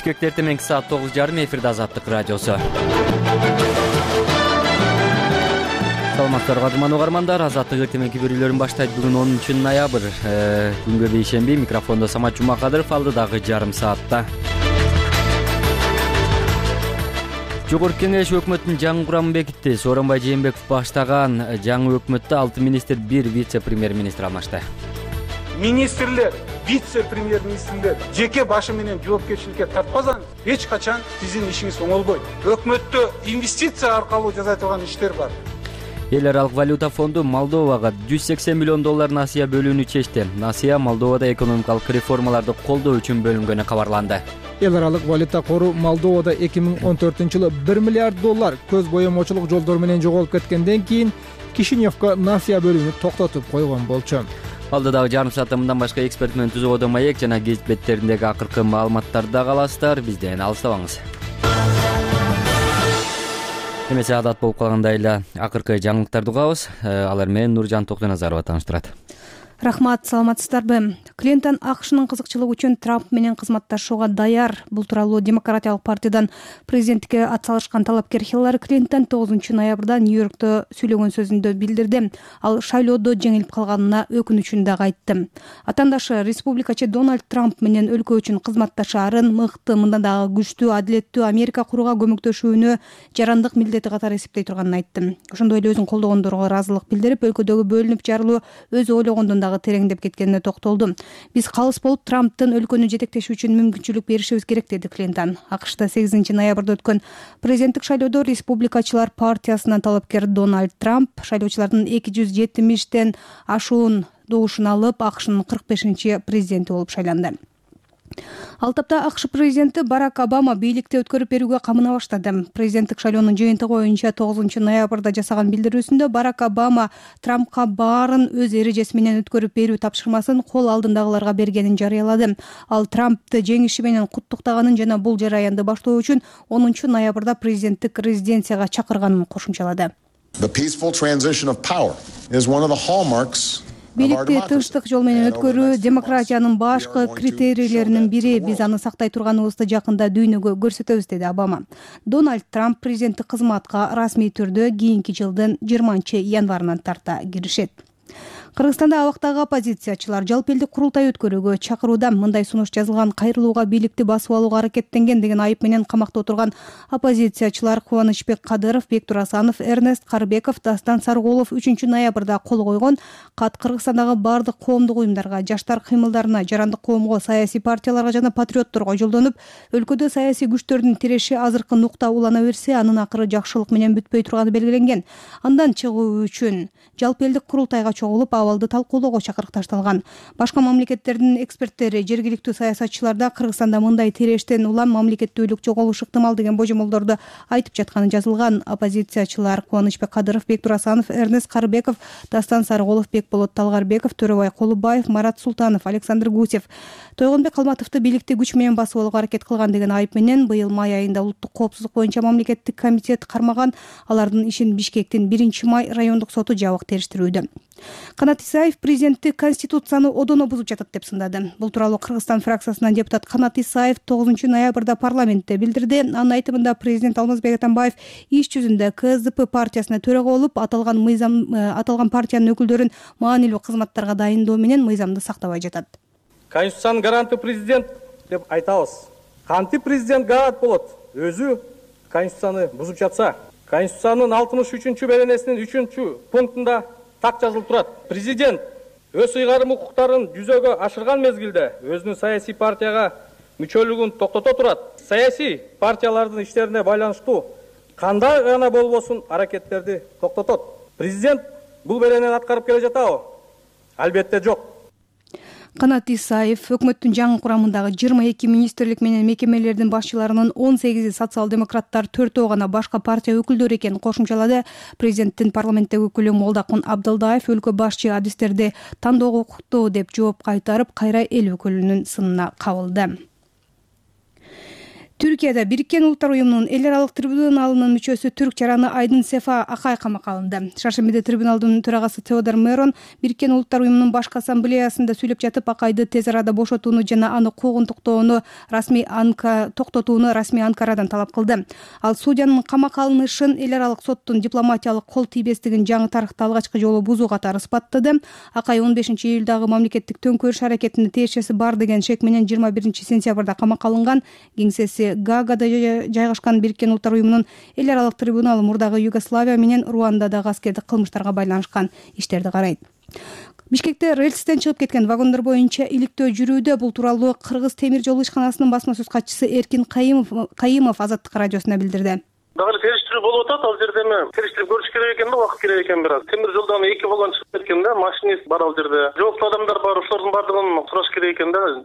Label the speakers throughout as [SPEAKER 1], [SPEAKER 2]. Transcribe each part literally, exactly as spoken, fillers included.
[SPEAKER 1] Бишкекте эртең саат тогуз жарым эфирде Азаттык радиосу. Саламатсыздарбы кадырман угармандар, Азаттык эртеңки берүүлөрүн баштайт. Бүгүн онунчу ноябрь, күнгө бейшемби. Микрофондо Самат Жумакадыров, алдыдагы жарым саатта. Жогорку Кеңеш өкмөттүн жаңы курамын бекитти. Сооронбай Жээнбеков баштаган жаңы өкмөттө алты министр, бир вице-премьер-министр алмашты.
[SPEAKER 2] Министрлер, вице-премьер-министрлер жеке башы менен жоопкерчиликке тартпасаңыз, эч качан сиздин ишиңиз оңолбойт. Өкмөттө инвестиция аркылуу жасалган иштер бар.
[SPEAKER 1] Эл аралык валюта фонду Молдовага жүз сексен миллион доллар насыя бөлүүнү чечти. Насыя Молдовада экономикалык реформаларды колдоо үчүн бөлүнгөнү кабарланды.
[SPEAKER 3] Эл аралык валюта кору Молдовада эки миң он төртүнчү жылы бир миллиард доллар көз боемочулук жолдор менен жоголуп кеткенден кийин Кишиневко насыя бөлүүнү токтотуп койгон болчу.
[SPEAKER 1] Алдыдагы жарым саатта мындан башка эксперт менен түзүүгө маек жана гезит беттериндеги акыркы маалыматтарды да аласыздар. Бизден алыстабаңыз. Эмесе адат болуп калгандай эле акыркы жаңылыктарды угабыз. Алар менен Нуржан Токтоназарова тааныштырат.
[SPEAKER 4] Рахмат, саламатсыздарбы? Клинтон АКШнын кызыкчылыгы үчүн Трамп менен кызматташууга даяр. Бул тууралуу Демократиялык партиядан президенттикке ат салышкан талапкер Хиллари Клинтон тогузунчу ноябрда Нью-Йоркто сүйлөгөн сөзүндө билдирди. Ал шайлоодо жеңилип калганына өкүнүчүн дагы айтты. Атаандашы республикачы Дональд Трамп менен өлкө үчүн кызматташаарын мыкты, мындан дагы күчтүү, адилеттүү Америка курууга көмөктөшүүнү жарандык милдети катары эсептей турганын айтты. Ошондой эле өзүн колдогондорго ыраазылык билдирип, өлкөдөгү бөлүнүп жарылуу өзү ойлогондон тереңдеп кеткенине токтолду. Биз калыс болуп Трамптын өлкөнү жетектеши үчүн мүмкүнчүлүк беришибиз керек, деди Клинтон. АКШта сегизинчи ноябрда өткөн президенттик шайлоодо республикачылар партиясынан талапкер Дональд Трамп шайлоочулардын эки жүз жетимиштен ашуун добушун алып, АКШнын кырк бешинчи президенти болуп шайланды. Ал тапта АКШ президенти Барак Обама бийликти өткөрүп берүүгө камына баштады. Президенттик шайлоонун жыйынтыгы боюнча тогузунчу ноябрда жасаган билдирүүсүндө Барак Обама Трампка баарын өз эрежеси менен өткөрүп берүү тапшырмасын кол алдындагыларга бергенин жарыялады. Ал Трампты жеңиши менен куттуктаганын жана бул жараянды баштоо үчүн онунчу ноябрда президенттик резиденцияга чакырганын кошумчалады. Бийликти тынчтык жол менен өткөрүү демократиянын башкы критерийлеринин бири. Биз аны сактай турганыбызды жакында дүйнөгө көрсөтөбүз, деди Обама. Дональд Трамп президенттик кызматка расмий түрдө кийинки жылдын жыйырманчы январынан тарта киришет. Кыргызстанда абактагы оппозициячылар жалпы элдик курултай өткөрүүгө чакырууда. Мындай сунуш жазылган: кайрылууга бийликти басып алууга аракеттенген деген айып менен камакта отурган оппозициячылар Кубанычбек Кадыров, Бектур Асанов, Эрнест Карыбеков, Дастан Сарыгулов үчүнчү ноябрда кол койгон кат Кыргызстандагы бардык коомдук уюмдарга, жаштар кыймылдарына, жарандык коомго, саясий партияларга жана патриотторго жолдонуп, өлкөдө саясий күчтөрдүн тиреши азыркы нукта улана берсе, анын акыры жакшылык менен бүтпөй турганы белгиленген. Андан чыгуу үчүн жалпы элдик курултайга чогулуп, абалды талкуулоого чакырыкташталган. Башка мамлекеттердин эксперттери, жергиликтүү саясатчыларда Кыргызстанда мындай тирештен улам мамлекеттүүлүк жоголушу ыктымал деген божомолдорду айтып жатканы жазылган. Оппозициячылар Кубанычбек Кадыров, Бектур Асанов, Эрнест Карыбеков, Дастан Сарыгулов, Бекболот Талгарбеков, Төрөбай Колубаев, Марат Султанов, Александр Гусев Тойгонбек Калматовду бийликти күч менен басып алууга аракет кылган деген айып менен быйыл май айында улуттук коопсуздук боюнча мамлекеттик комитет кармаган. Алардын ишин Бишкектин биринчи май райондук соту жабык териштирүүдө. Канат Исаев президенттик конституцияны одоно бузуп жатат деп сындады. Бул тууралуу Кыргызстан фракциясынан депутат Канат Исаев тогузунчу ноябрда парламентте билдирди. Анын айтымында президент Алмазбек Атамбаев иш жүзүндө КСДП партиясына төрага болуп, аталган мыйзам аталган партиянын өкүлдөрүн маанилүү кызматтарга дайындоо менен мыйзамды сактабай жатат.
[SPEAKER 5] Конституциянын гаранты президент деп айтабыз. Кантип президент гарант болот? Өзү конституцияны бузуп жатса. Конституциянын алтымыш үчүнчү беренесинин үчүнчү пунктунда так жазылып турат: президент өз ыйгарым укуктарын жүзөгө ашырган мезгилде өзүнүн саясий партияга мүчөлүгүн токтото турат. Саясий партиялардын иштерине байланыштуу кандай гана болбосун аракеттерди токтотот. Президент бул беренени аткарып келе жатабы? Албетте жок.
[SPEAKER 4] Канат Исаев өкмөттүн жаңы курамындагы жыйырма эки министрлик менен мекемелердин башчыларынын он сегизи социал-демократтар, төртөө гана башка партия өкүлдөрү экенин кошумчалады. Президенттин парламенттеги өкүлү Молдакун Абдылдаев өлкө башчы адистерди тандоого укуктуу деп жооп кайтарып, кайра эл өкүлүнүн сынына кабылды. Түркияда Бириккен Улуттар уюмунун эл аралык трибуналынын мүчөсү түрк жараны Айдын Сефа Акай камакка алынды. Шаршембиде трибуналдын төрагасы Теодор Мерон Бириккен Улуттар уюмунун башкы ассамблеясында сүйлөп жатып, Акайды тез арада бошотууну жана аны куугунтуктоону расмий анка токтотууну расмий Анкарадан талап кылды. Ал судьянын камакка алынышын эл аралык соттун дипломатиялык кол тийбестигин жаңы тарыхта алгачкы жолу бузуу катары испаттады. Акай он бешинчи июлдагы мамлекеттик төңкөрүш аракетине тиешеси бар деген шек менен жыйырма биринчи сентябрда камакка алынган. Кеңсеси Гаагада жайгашкан Бириккен Улуттар уюмунун эл аралык трибуналы мурдагы Югославия менен Руандадагы аскердик кылмыштарга байланышкан иштерди карайт. Бишкекте рельстен чыгып кеткен вагондар боюнча иликтөө жүрүүдө. Бул тууралуу Кыргыз темир жол ишканасынын басма сөз катчысы Эркин Кайымов Кайымов Азаттык радиосуна билдирди.
[SPEAKER 6] Дагы териштирүү болуп атат, ал жерде эми териштирип көрүш керек экен да, убакыт керек экен бираз. Темир жолдон эки вагон чыгып кеткен да, машинист бар ал жерде. Жооптуу адамдар бар, ошолордун бардыгын сураш керек экен да.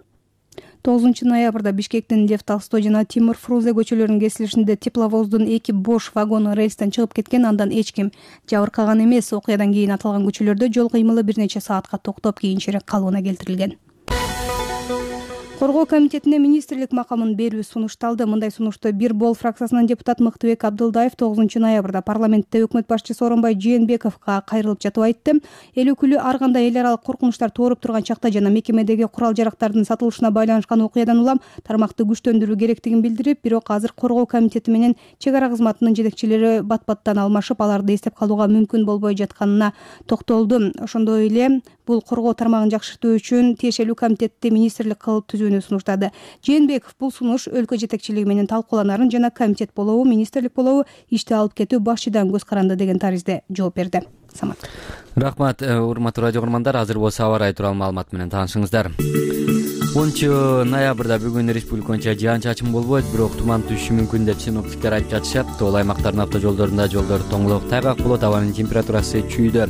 [SPEAKER 4] тогузунчу ноябрда Бишкектин Лев Толстой жана Тимур Фрузе көчөлөрүнүн кесилишинде тепловоздун эки бош вагону рельстен чыгып кеткен, андан эч ким жабыркаган эмес. Окуядан кийин аталган көчөлөрдө жол кыймылы бир нече саатка токтоп, кийинчерээк калыбына келтирилген. Коргоо комитетине министрлик макамын берүү сунушталды. Мындай сунушту Бир Бол фракциясынын депутат Мыктыбек Абдылдаев тогузунчу ноябрда парламентте өкмөт башчысы Сооронбай Жээнбековго кайрылып жатып айтты. Эл өкүлү ар кандай эл аралык коркунучтар тууруп турган чакта жана мекемедеги курал-жарактардын сатылышына байланышкан окуядан улам тармакты күчтөндүрүү керектигин билдирип, бирок азыр коргоо комитети менен чек ара кызматынын жетекчилери бат-баттан алмашып, аларды эстеп калууга мүмкүн болбой жатканына токтолду. Ошондой эле бул коргоо тармагын жакшыртуу үчүн тиешелүү комитетти министрлик кылып түзүүнү сунуштады. Жээнбеков бул сунуш өлкө жетекчилиги менен талкууланарын жана комитет болобу, министрлик болобу ишти алып кетүү башчыдан көз каранды деген таризде жооп берди. Самат.
[SPEAKER 1] Рахмат, урматтуу радио көрөрмандар. Азыр болсо аба ырайы тууралуу маалымат менен таанышыңыздар. онунчу ноябрда бүгүн республика боюнча жаан-чачын болбойт, бирок туман түшүшү мүмкүн деп синоптиктер айтып жатышат. Тоол аймактардын автожолдорунда жолдор тоңулуп, тайгак болот, абанын температурасы чүйдө.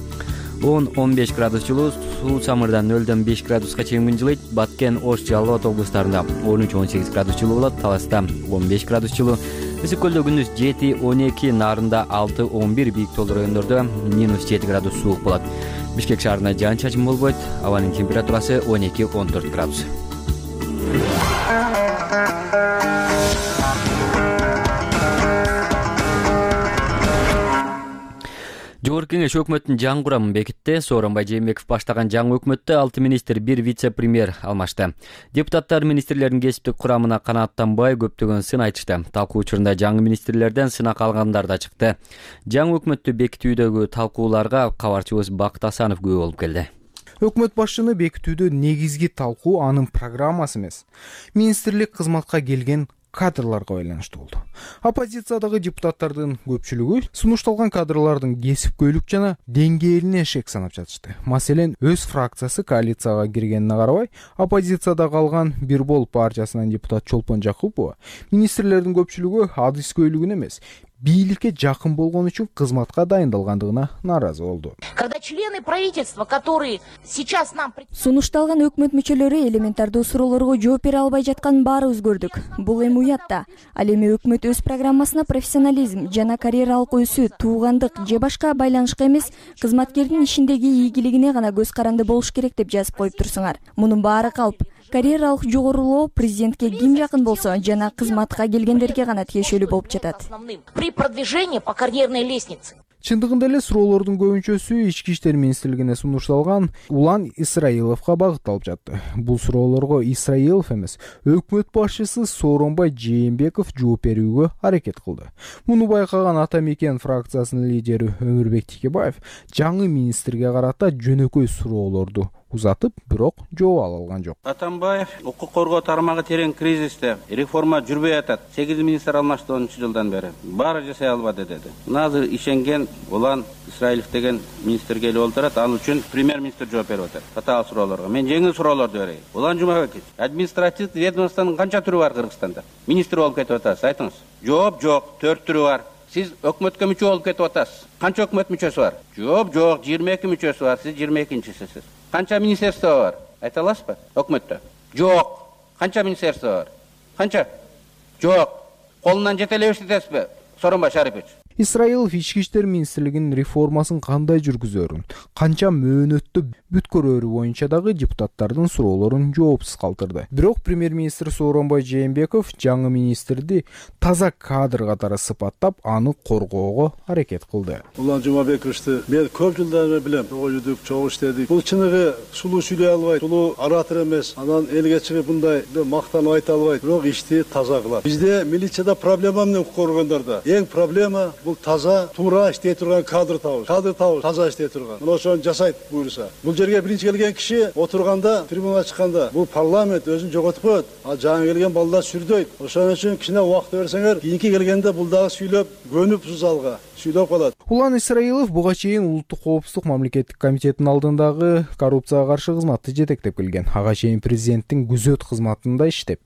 [SPEAKER 1] он он беш градус жылуу, суу самырдан нөлдөн беш градуска чейин күн жылыйт. Баткен, Ош, Жалал Абад облустарында он үч он сегиз градус жылуу болот. Таласта он беш градус жылуу. Ысык көлдө күндүз жети он эки, Нарында алты он бир, бийик тоолуу райондордо минус жети градус суук болот. Бишкек шаарында жаан-чачын болбойт. Абанын температурасы он эки он төрт градус. Жогорку Кеңеш өкмөттүн жаңы курамын бекитти. Сооронбай Жээнбеков баштаган жаңы өкмөттө алты министр, бир вице-премьер алмашты. Депутаттар министрлердин кесиптик курамына канааттанбай көптөгөн сын айтышты. Талкуу учурунда жаңы министрлерден сынак алгандар да чыкты. Жаңы өкмөттү бекитүүдөгү талкууларга кабарчыбыз Бакыт Асанов күбө болуп келди.
[SPEAKER 3] Өкмөт башчыны бекитүүдө негизги талкуу анын программасы эмес, министрлик кызматка келген кадрларга байланыштуу болду. Оппозициядагы депутаттардын көпчүлүгү сунушталган кадрлардын кесипкөйлүк жана деңгээлине шек санап жатышты. Маселен, өз фракциясы коалицияга киргенине карабай, оппозицияда калган Бир Бол партиясынын депутат Чолпон Жакупова министрлердин көпчүлүгү адыскөйлүгүн эмес, бийликке жакын болгон үчүн кызматка дайындалгандыгына нааразы болду.
[SPEAKER 7] Когда члены правительства, которые сейчас нам
[SPEAKER 8] сунушталган өкмөт мүчөлөрү элементардуу суроолорго жооп бере албай жатканын баарыбыз көрдүк. Бул эми уят да. Ал эми өкмөт өз программасына профессионализм жана карьералык өсүү, туугандык же башка байланышка эмес, кызматкердин ишиндеги ийгилигине гана көз каранды болуш керек деп жазып коюп турсуңар. Мунун баары калп. Карьералык жогорулоо президентке ким жакын болсо жана кызматка келгендерге гана тиешелүү болуп жатат.
[SPEAKER 7] При продвижении по карьерной лестнице.
[SPEAKER 3] Чындыгында эле суроолордун көбүнчөсү Ички иштер министрлигине сунушталган Улан Исраиловго багытталып жатты. Бул суроолорго Исраилов эмес, өкмөт башчысы Сооронбай Жээнбеков жооп берүүгө аракет кылды. Муну байкаган Ата Мекен фракциясынын лидери Өмүрбек Тикебаев жаңы министрге карата жөнөкөй суроолорду узатып, бирок жооп ала алган жок.
[SPEAKER 9] Атамбаев укук коргоо тармагы терең кризисте, реформа жүрбөй атат. сегиз министр алмашты онунчу жылдан бери. Баары жасай албады деди. Азыр ишенген Улан Исраилов деген министр келип олтурат, ал үчүн премьер-министр жооп берип атат. Татаал суроолорго. Мен жеңил суроолорду берейин. Улан Жумабеков, административдик ведомствонун канча түрү бар Кыргызстанда? Министр болуп кетип атасыз, айтыңыз. Жооп жок, төрт түрү бар. Сиз өкмөткө мүчө болуп кетип атасыз. Канча өкмөт мүчөсү бар? Жооп жок, жыйырма эки мүчөсү бар. Сиз жыйырма экинчисисиз. Канча министерство бар? Айта аласызбы? Өкмөттө. Жок. Канча министерство бар? Канча? Жок. Колунан жете эле эстетесизби? Сооронбай Шарипович.
[SPEAKER 3] Исраилов ички иштер министрлигинин реформасын кандай жүргүзөрүн, канча мөөнөттө бүткөрөрү боюнча дагы депутаттардын суроолорун жоопсуз калтырды. Бирок премьер-министр Сооронбай Жээнбеков жаңы министрди таза кадр катары сыпаттап, аны коргоого аракет кылды.
[SPEAKER 10] Улан Жумабековичти мен көп жылдан бери билем. Чогуу жүрдүк, чогуу иштедик. Бул чыныгы сулуу сүйлөй албайт, сулуу оратор эмес. Анан элге чыгып мындай мактанып айта албайт. Бирок ишти таза кылат. Бизде милицияда проблема эмне көргөндөрдө? Эң проблема бул таза, туура иштей турган кадр табыш. Кадр табыш, таза иштей турган. Мына ошону жасайт буйруса. Бул жерге биринчи келген киши отурганда, трибунага чыкканда, бул парламент өзүн жоготуп коет. А жаңы келген балдар сүрдөйт. Ошон үчүн кичине убакыт берсеңер, кийинки келгенде бул дагы сүйлөп, көнүп залга сүйлөп калат.
[SPEAKER 3] Улан Исраилов буга чейин Улуттук коопсуздук мамлекеттик комитетинин алдындагы коррупцияга каршы кызматты жетектеп келген. Ага чейин президенттин күзөт кызматында иштеп,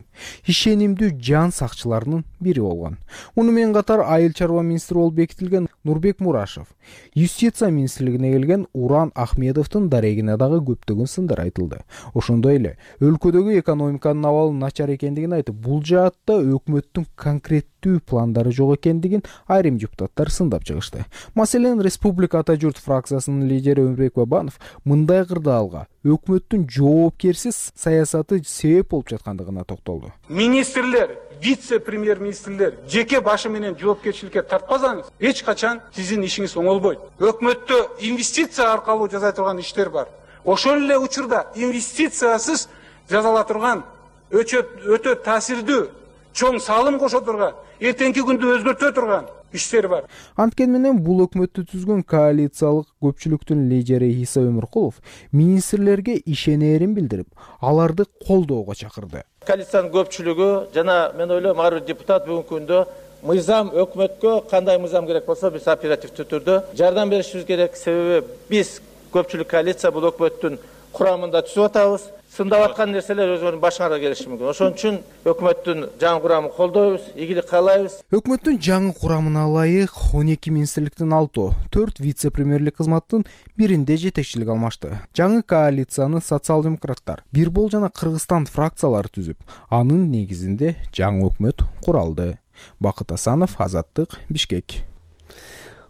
[SPEAKER 3] ишенимдүү жан сакчыларынын бири болгон. Муну менен катар айыл чарба министри болуп бекитилген Нурбек Мурашев, юстиция министрлигине келген Уран Ахмедовдун дарегине дагы көптөгөн сындар айтылды. Ошондой эле өлкөдөгү экономиканын абалы начар экендигин айтып, бул жаатта өкмөттүн конкреттүү пландары жок экендигин айрым депутаттар сындап чыгышты. Маселен, Республика Ата журт фракциясынын лидери Өмүрбек Бабанов мындай кырдаалга өкмөттүн жоопкерсиз саясаты себеп болуп жаткандыгына токтолду.
[SPEAKER 2] Министрлер, вице-премьер-министрлер жеке башы менен жоопкерчиликке тартпасаңыз, эч качан сиздин ишиңиз оңолбойт. Өкмөттө инвестиция аркылуу жасай турган иштер бар. Ошол эле учурда инвестициясыз жасала турган өтө таасирдүү, чоң салым кошо турган, эртеңки күндү өзгөртө турган иштер бар.
[SPEAKER 3] Анткени менен бул өкмөттү түзгөн коалициялык көпчүлүктүн лидери Иса Өмүркулов министрлерге ишенерин билдирип, аларды колдоого чакырды.
[SPEAKER 11] Коалициянын көпчүлүгү жана мен ойлойм ар бир депутат бүгүнкү күндө мыйзам өкмөткө кандай мыйзам керек болсо биз оперативдүү түрдө жардам беришибиз керек. Себеби биз көпчүлүк коалиция бул өкмөттүн курамында түзүп атабыз. Сындап аткан нерселер өзүнүн башыңарга келиши мүмкүн. Ошон үчүн өкмөттүн жаңы курамын колдойбуз, ийгилик каалайбыз.
[SPEAKER 3] Өкмөттүн жаңы курамына ылайык он эки министрликтин алтоо, төрт вице-премьерлик кызматтын биринде жетекчилик алмашты. Жаңы коалицияны социал-демократтар, Бирбол жана Кыргызстан фракциялары түзүп, анын негизинде жаңы өкмөт куралды. Бакыт Асанов, Азаттык, Бишкек.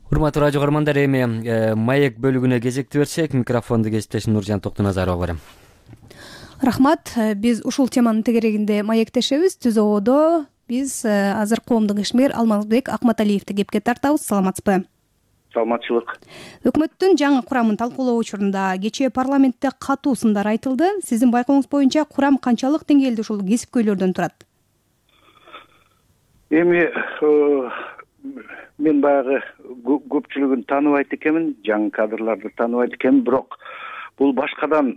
[SPEAKER 1] Урматтуу радио көрөрмандар, эми маек бөлүгүнө кезекти берсек, микрофонду кесиптешим Нуржан Токтуназарова берем.
[SPEAKER 4] Рахмат. Биз ушул теманын тегерегинде маектешебиз. Түз ободо биз азыр коомдук ишмер Алмазбек Акматалиевди кепке тартабыз. Саламатсызбы?
[SPEAKER 12] Саламатчылык.
[SPEAKER 4] Өкмөттүн жаңы курамын талкуулоо учурунда кечээ парламентте катуу сындар айтылды. Сиздин байкооңуз боюнча курам канчалык деңгээлде ушул кесипкөйлөрдөн турат?
[SPEAKER 12] Эми мен баягы көпчүлүгүн тааныбайт экенмин, жаңы кадрларды тааныбайт экенмин, бирок бул башкадан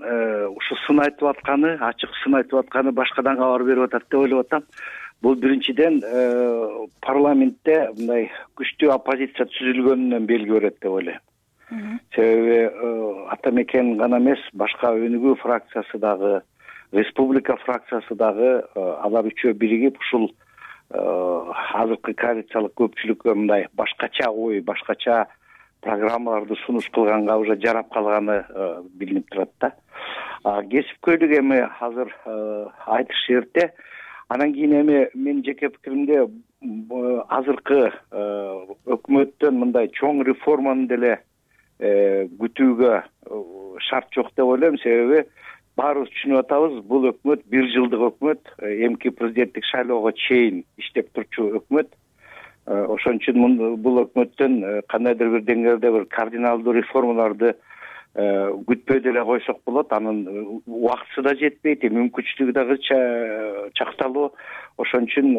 [SPEAKER 12] ушу сын айтып атканы, ачык сын айтып атканы башкадан кабар берип атат деп ойлоп атам. Бул биринчиден парламентте мындай күчтүү оппозиция түзүлгөнүнөн белги берет деп ойлойм. Себеби ата мекен гана эмес, башка өнүгүү фракциясы дагы, республика фракциясы дагы алар үчөө биригип ушул азыркы коалициялык көпчүлүккө мындай башкача ой, башкача программаларды сунуш кылганга уже жарап калганы билинип турат да. Кесипкөйлүк эми азыр айтыш эрте. Анан кийин эми менин жеке пикиримде азыркы өкмөттөн мындай чоң реформаны деле күтүүгө шарт жок деп ойлойм. Себеби баарыбыз түшүнүп атабыз, бул өкмөт бир жылдык өкмөт, эмки президенттик шайлоого чейин иштеп турчу өкмөт. Ошон үчүн бул өкмөттөн кандайдыр бир деңгээлде бир кардиналдуу реформаларды күтпөй деле койсок болот. Анын убактысы да жетпейт, мүмкүнчүлүгү дагы чакталуу. Ошон үчүн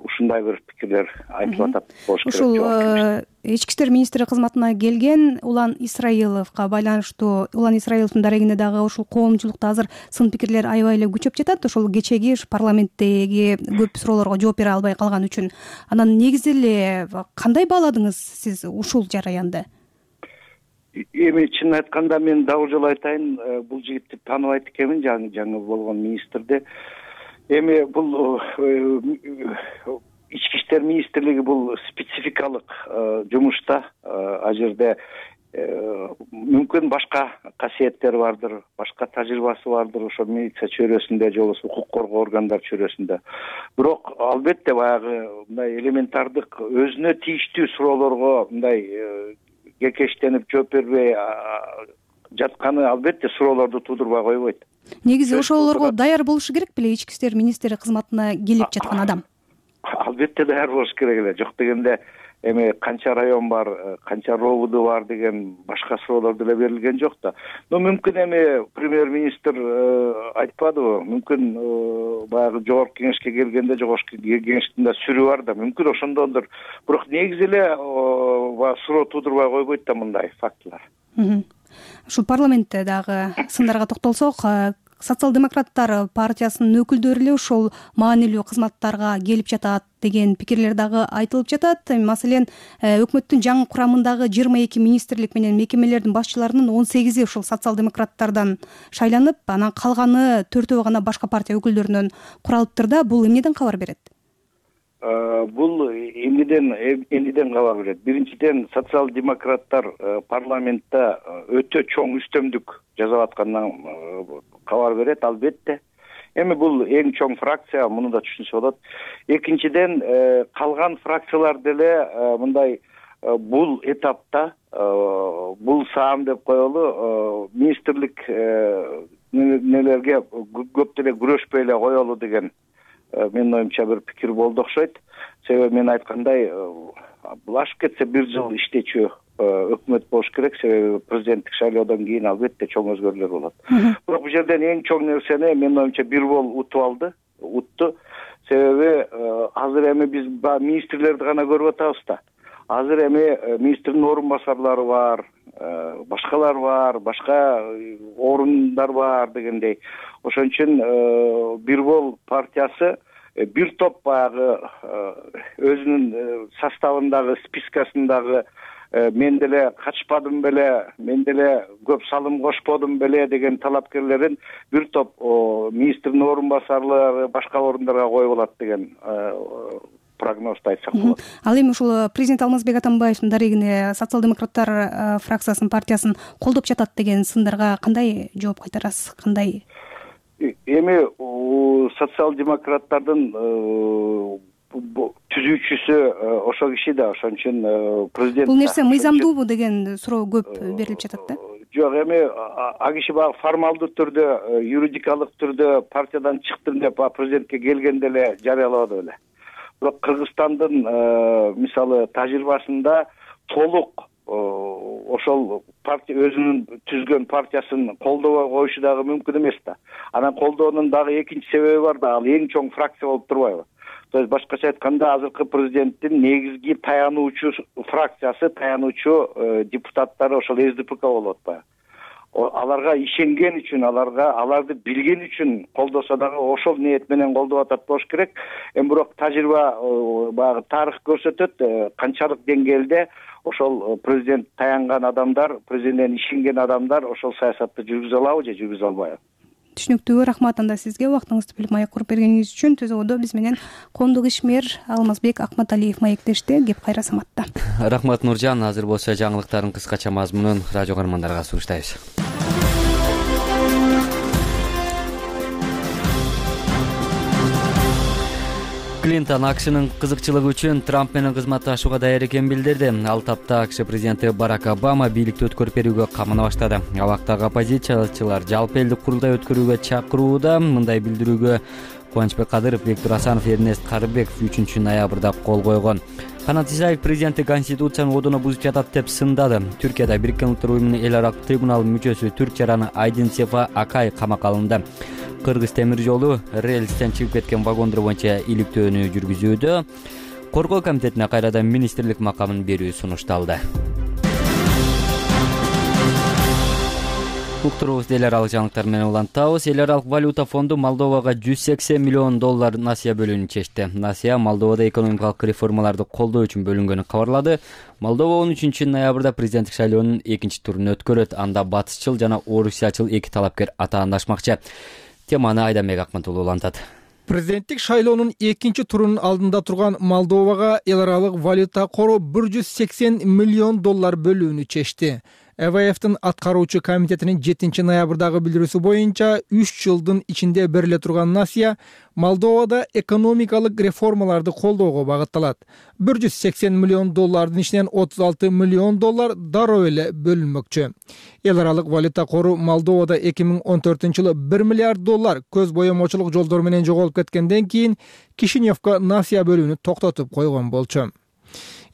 [SPEAKER 12] ушундай бир пикирлер айтылып атат болуш керек.
[SPEAKER 4] Ушул ички иштер министри кызматына келген Улан Исраиловго байланыштуу, Улан Исраиловдун дарегине дагы ушул коомчулукта азыр сын пикирлер аябай эле күчөп жатат. Ошол кечеги парламенттеги көп суроолорго жооп бере албай калган үчүн. Анан негизи эле кандай бааладыңыз сиз ушул жараянды?
[SPEAKER 12] Эми чын айтканда мен дагы жолу айтайын, бул жигитти тааныбайт экенмин, жаңы жаңы болгон министрди. Эми бул ички иштер министрлиги бул спецификалык жумушта, ал жерде мүмкүн башка касиеттери бардыр, башка тажрыйбасы бардыр ошо милиция чөйрөсүндө же болбосо укук коргоо органдар чөйрөсүндө. Бирок албетте баягы мындай элементардык өзүнө тийиштүү суроолорго мындай кекештенип жооп бербей жатканы албетте суроолорду туудурбай койбойт.
[SPEAKER 4] Негизи ошолорго даяр болушу керек беле ички иштер министри кызматына келип жаткан адам?
[SPEAKER 12] Албетте даяр болуш керек эле. Жок дегенде эми канча район бар, канча робуду бар деген башка суроолор деле берилген жок да. Но мүмкүн эми премьер-министр айтпадыбы, мүмкүн баягы жогорку кеңешке келгенде жогорку кеңештин да сүрү бар да, мүмкүн ошондондур. Бирок негизи эле баягы суроо туудурбай койбойт да мындай фактылар.
[SPEAKER 4] Ушул парламентте дагы сындарга токтолсок, социал-демократтар партиясынын өкүлдөрү эле ошол маанилүү кызматтарга келип жатат деген пикирлер дагы айтылып жатат. Маселен, өкмөттүн жаңы курамындагы жыйырма эки министрлик менен мекемелердин башчыларынын он сегизи ошол социал-демократтардан шайланып, анан калганы төртөө гана башка партия өкүлдөрүнөн куралыптыр да. Бул эмнеден кабар берет?
[SPEAKER 12] Бул эмнеден эмнеден кабар берет? Биринчиден, социал-демократтар парламентте өтө чоң үстөмдүк жасап аткандан кабар берет, албетте. Эми бул эң чоң фракция, муну да түшүнсө болот. Экинчиден, калган фракциялар деле мындай бул этапта, бул саам деп коелу, министрлик нелерге көп деле күрөшпөй эле коелу деген менин оюмча бир пикир болду окшойт. Себеби мен айткандай, бул ашып кетсе бир жыл иштечү өкмөт болуш керек, себеби президенттик шайлоодон кийин албетте чоң өзгөрүүлөр болот. Бирок бул жерден эң чоң нерсени менин оюмча бир бол утуп алды, утту. Себеби азыр эми биз министрлерди гана көрүп атабыз да. Азыр эми министрдин орун басарлары бар, башкалар бар, башка орундар бар дегендей. Ошон үчүн бир бол партиясы бир топ баягы өзүнүн составындагы, спискасындагы мен деле качпадым беле, мен деле көп салым кошподум беле деген талапкерлерин бир топ министрдин орун басарлары башка орундарга коюп алат деген прогнозду айтсак болот.
[SPEAKER 4] Ал эми ушул президент Алмазбек Атамбаевдин дарегине социал-демократтар фракциясын, партиясын колдоп жатат деген сындарга кандай жооп кайтарасыз? Кандай?
[SPEAKER 12] Эми социал-демократтардын түзүүчүсү ошол киши да, ошон үчүн президент.
[SPEAKER 4] Бул нерсе мыйзамдуубу деген суроо көп берилип жатат да.
[SPEAKER 12] Жок, эми а киши баягы формалдуу түрдө, юридикалык түрдө партиядан чыктым деп президентке келгенде эле жарыялабады беле. Бирок Кыргызстандын мисалы тажрыйбасында толук ошол партия өзүнүн түзгөн партиясын колдобой коюшу дагы мүмкүн эмес да. Анан колдоонун дагы экинчи себеби бар да, ал эң чоң фракция болуп турбайбы? То есть башкача айтканда, азыркы президенттин негизги таянуучу фракциясы, таянуучу депутаттары ошол эс ди пэ ка болуп атпайбы? Аларга ишенген үчүн, аларга аларды билген үчүн колдосо дагы ошол ниет менен колдоп атат болуш керек. Эми бирок тажрыйба баягы тарых көрсөтөт, канчалык деңгээлде ошол президент таянган адамдар, президенттен ишенген адамдар ошол саясатты жүргүзө алабы же жүргүзө албайбы?
[SPEAKER 4] Түшүнүктүү, рахмат анда сизге убактыңызды бөлүп маек куруп бергениңиз үчүн. Түзөөдө биз менен коомдук ишмер Алмазбек Акматалиев маектешти. Кеп кайра саматта.
[SPEAKER 1] Рахмат Нуржан. Азыр болсо жаңылыктардын кыскача мазмунун радио көрөрмандарга сунуштайбыз. Клинтон АКШнын кызыкчылыгы үчүн Трамп менен кызматташууга даяр экенин билдирди. Ал тапта АКШ президенти Барак Обама бийликти өткөрүп берүүгө камына баштады. Абактагы оппозициячылар жалпы элдик курултай өткөрүүгө чакырууда. Мындай билдирүүгө Кубанычбек Кадыров, Виктор Асанов, Эрнест Карыбеков үчүнчү ноябрда кол койгон. Канат Исаев президенти конституциянын кодуна бузуп жатат деп сындады. Түркияда Бириккен Улуттар уюмунун эл аралык трибуналынын мүчөсү түрк жараны Айдин Сефа Акай камакка алынды. Кыргыз темир жолу рельстен чыгып кеткен вагондор боюнча иликтөөнү жүргүзүүдө. Коргоо комитетине кайрадан министрлик макамын берүү сунушталды. Уктурубузду эл аралык жаңылыктар менен улантабыз. Эл аралык валюта фонду Молдовага жүз сексен миллион доллар насыя бөлүүнү чечти. Насыя Молдовада экономикалык реформаларды колдоо үчүн бөлүнгөнүн кабарлады. Молдова он үчүнчү ноябрда президенттик шайлоонун экинчи турун өткөрөт. Анда батышчыл жана орусиячыл эки талапкер атаандашмакчы. Теманы Айданбек Акматулу улантат.
[SPEAKER 3] Президенттик шайлоонун экинчи турунун алдында турган Молдовага эл аралык валюта кору бир жүз сексен миллион доллар бөлүүнү чечти. э вэ эфтин аткаруучу комитетинин жетинчи ноябрдагы билдирүүсү боюнча үч жылдын ичинде бериле турган насыя Молдовада экономикалык реформаларды колдоого багытталат. бир жүз сексен миллион доллардын ичинен отуз алты миллион доллар дароо эле бөлүнмөкчү. Эл аралык валюта кору Молдовада эки миң он төртүнчү жылы бир миллиард доллар көз боемочулук жолдор менен жоголуп кеткенден кийин Кишиневко насыя бөлүүнү токтотуп койгон болчу.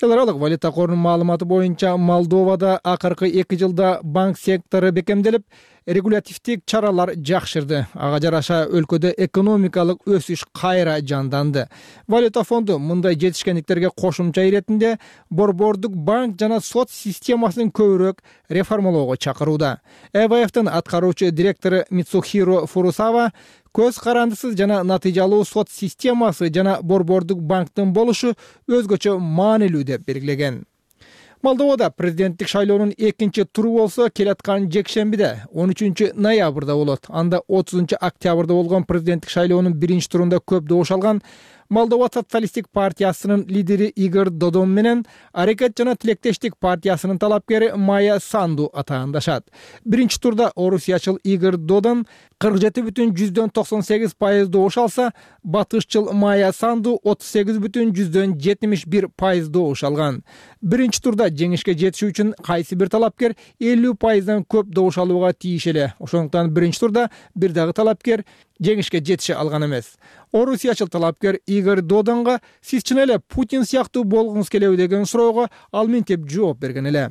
[SPEAKER 3] Эл аралык валюта корунун маалыматы боюнча Молдовада акыркы эки жылда банк сектору бекемделип, регулятивдик чаралар жакшырды. Ага жараша өлкөдө экономикалык өсүш кайра жанданды. Валюта фонду мындай жетишкендиктерге кошумча иретинде борбордук банк жана сот системасын көбүрөөк реформалоого чакырууда. э вэ эфтин аткаруучу директору Мицухиро Фурусава көз карандысыз жана натыйжалуу сот системасы жана борбордук банктын болушу өзгөчө маанилүү деп белгилеген. Молдовада президенттик шайлоонун экинчи туру болсо келаткан жекшембиде он үчүнчү ноябрда болот. Анда отузунчу октябрда болгон президенттик шайлоонун биринчи турунда көп добуш алган Молдова социалисттик партиясынын лидери Игорь Додон менен Аракет жана тилектештик партиясынын талапкери Майя Санду атаандашат. Биринчи турда орусиячыл Игорь Додон кырк жети бүтүн жүздөн токсон сегиз пайыз добуш алса, батышчыл Майя Санду отуз сегиз бүтүн жүздөн жетимиш бир пайыз добуш алган. Биринчи турда жеңишке жетиши үчүн кайсы бир талапкер элүү пайыздан көп добуш алууга тийиш эле. Ошондуктан биринчи турда бир дагы талапкер жеңишке жетише алган эмес. Орусиячыл талапкер Игорь Додонго сиз чын эле Путин сыяктуу болгуңуз келеби деген суроого ал мынтип жооп берген эле.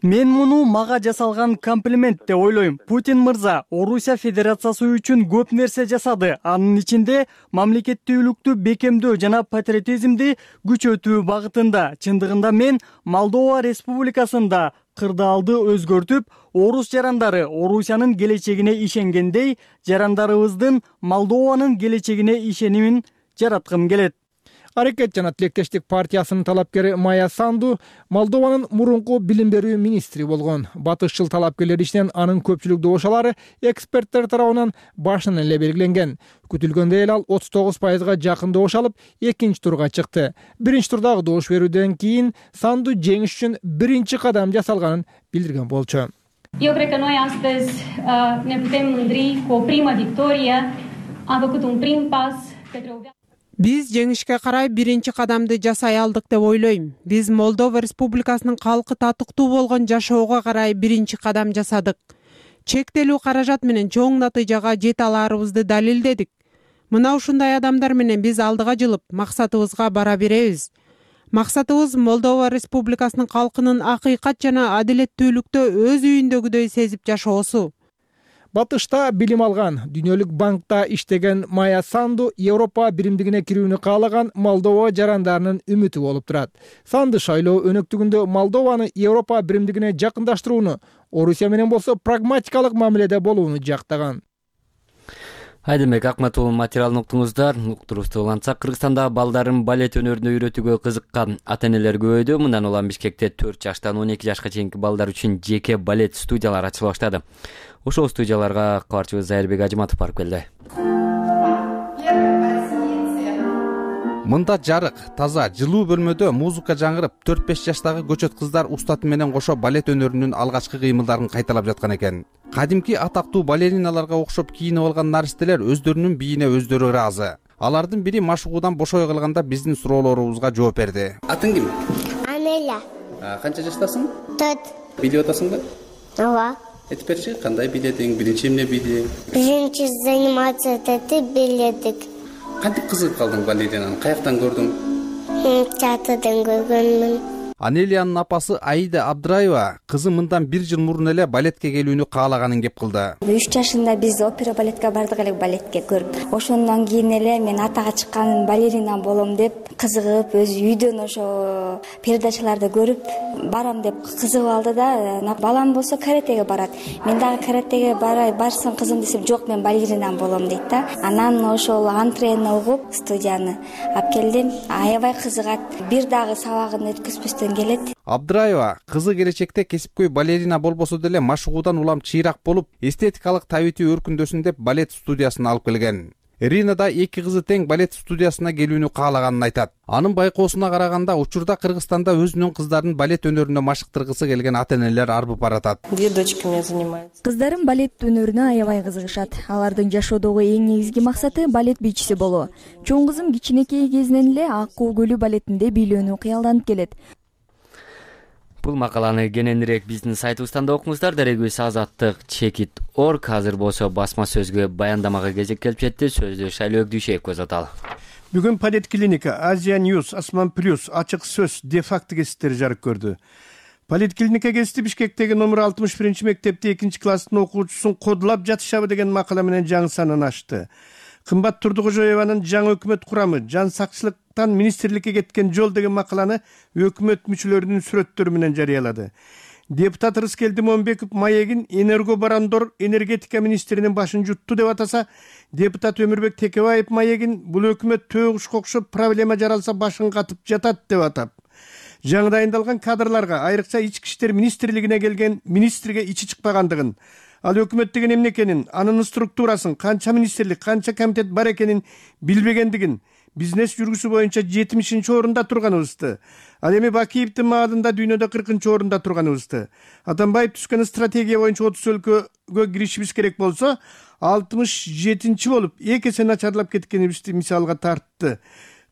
[SPEAKER 13] Мен муну мага жасалган комплимент деп ойлойм. Путин мырза Орусия Федерациясы үчүн көп нерсе жасады. Анын ичинде мамлекеттүүлүктү бекемдөө жана патриотизмди күчөтүү багытында. Чындыгында мен Молдова Республикасында кырдаалды өзгөртүп, орус жарандары Орусиянын келечегине ишенгендей, жарандарыбыздын Молдованын келечегине ишенимин жараткым келет.
[SPEAKER 3] Аракет жана тилектештик партиясынын талапкери Майя Санду Молдованын мурунку билим берүү министри болгон. Батышчыл талапкерлер ичинен анын көпчүлүк добушалары эксперттер тарабынан башынан эле белгиленген. Күтүлгөндөй эле ал отуз тогуз пайызга жакын добуш алып, экинчи турга чыкты. Биринчи турдагы добуш берүүдөн кийин Санду жеңиш үчүн биринчи кадам жасалганын билдирген болчу.
[SPEAKER 14] Eu cred că noi astăzi uh, ne putem mândri cu o primă victorie. Am făcut un prim pas către o viață.
[SPEAKER 15] Биз жеңишке карай биринчи кадамды жасай алдык деп ойлойм. Биз Молдова Республикасынын калкы татыктуу болгон жашоого карай биринчи кадам жасадык. Чектелүү каражат менен чоң натыйжага жете аларыбызды далилдедик. Мына ушундай адамдар менен биз алдыга жылып, максатыбызга бара беребиз. Максатыбыз Молдова Республикасынын калкынын акыйкат жана адилеттүүлүктө өз үйүндөгүдөй сезип жашоосу.
[SPEAKER 3] Батышта билим алган, Дүйнөлүк банкта иштеген Майя Санду Европа биримдигине кирүүнү каалаган Молдова жарандарынын үмүтү болуп турат. Санду шайлоо өнөктүгүндө Молдованы Европа биримдигине жакындаштырууну, Орусия менен болсо прагматикалык мамиледе болууну жактаган.
[SPEAKER 1] Айдемек Акматуллун материалын уктуңуздар. Уктурубузду улантсак, Кыргызстанда балдарын балет өнөрүнө үйрөтүүгө кызыккан ата-энелер көбөйдү. Мындан улам Бишкекте төрт жаштан он эки жашка чейинки балдар үчүн жеке балет студиялары ачыла баштады. Ошол студияларга кабарчыбыз Зайырбек Ажыматов барып келди.
[SPEAKER 16] Мында жарык, таза, жылуу бөлмөдө музыка жаңырып, төрт беш жаштагы көчөт кыздар устаты менен кошо балет өнөрүнүн алгачкы кыймылдарын кайталап жаткан экен. Кадимки атактуу балериналарга окшоп кийинип алган наристелер өздөрүнүн бийине өздөрү ыраазы. Алардын бири машыгуудан бошой калганда биздин суроолорубузга жооп берди.
[SPEAKER 17] Атың ким?
[SPEAKER 18] Анеля.
[SPEAKER 17] Канча жаштасың?
[SPEAKER 18] төрт.
[SPEAKER 17] Билип атасыңбы?
[SPEAKER 18] Ооба.
[SPEAKER 17] Айтып берчи, кандай биледиң? Биринчи эмне билдиң?
[SPEAKER 18] Биринчи занимация этти билдик.
[SPEAKER 17] Кантип кызыгып калдың балеринаны? Каяктан көрдүң?
[SPEAKER 18] Театрдан көргөнмүн.
[SPEAKER 16] Анелиянын апасы Аида Абдраева кызы мындан бир жыл мурун эле балетке келүүнү каалаганын кеп кылды.
[SPEAKER 19] үч жашында биз опера балетке бардык эле балетке көрүп. Ошондон кийин эле мен атага чыккан балерина болом деп кызыгып, өз үйдөн ошо передачаларды көрүп барам деп кызыгып алды да. Балам болсо каратеге барат. Мен дагы каратеге барай, барсаң кызым десем, жок мен балерина болом дейт да. Анан ошол антрене угуп студияны алып келдим. Аябай кызыгат. Бир дагы сабагын өткөзбөстөн келет.
[SPEAKER 16] Абдраева кызы келечекте кесипкөй балерина болбосо деле машыгуудан улам чыйрак болуп, эстетикалык табити өркүндөсүн деп балет студиясына алып келген. Ирина да эки кызы тең балет студиясына келүүнү каалаганын айтат. Анын байкоосуна караганда учурда Кыргызстанда өзүнүн кыздарын балет өнөрүнө машыктыргысы келген ата-энелер арбып баратат.
[SPEAKER 19] Две дочки у меня занимаются.
[SPEAKER 8] Кыздарым балет өнөрүнө аябай кызыгышат. Алардын жашоодогу эң негизги максаты балет бийчиси болуу. Чоң кызым кичинекей кезинен эле Ак Куу көлү балетинде бийлөөнү кыялданып келет.
[SPEAKER 1] Бул макаланы кененирээк биздин сайтыбыздан да окуңуздар. Дарегибиз азаттык чекит точка орг. Азыр болсо басма сөзгө баяндамага кезек келип жетти. Сөздү Шайлоо Дүйшеевге узаталы.
[SPEAKER 20] Бүгүн Падет клиника, Азия Ньюс, Асман Плюс, Ачык сөз, де-факто гезиттери жарык көрдү. Падет клиника гезити Бишкектеги номер алтымыш биринчи мектепте экинчи класстын окуучусун кодулап жатышабы деген макала менен жаңы санын ачты. Кымбат Турдукожоеванын жаңы өкмөт курамы, жан сакчылыктан министрликке кеткен жол деген макаланы өкмөт мүчөлөрүнүн сүрөттөрү менен жарыялады. Депутат Рыскелди Момбеков маегин энергобарандор энергетика министринин башын жутту деп атаса, депутат Өмүрбек Текебаев маегин бул өкмөт төөгүшкө окшоп проблема жаралса башын катып жатат деп атап. Жаңы дайындалган кадрларга, айрыкча ички иштер министрлигине келген министрге ичи чыкпагандыгын, ал өкмөт деген эмне экенин, анын структурасын, канча министрлик, канча комитет бар экенин билбегендигин, бизнес жүргүсү боюнча жетимишинчи орунда турганыбызды, ал эми Бакиевдин маалында дүйнөдө кыркынчы орунда турганыбызды, Атамбаев түзгөн стратегия боюнча отуз өлкөгө киришибиз керек болсо, алтымыш жетинчи болуп эки эсе начарлап кеткенибизди мисалга тартты.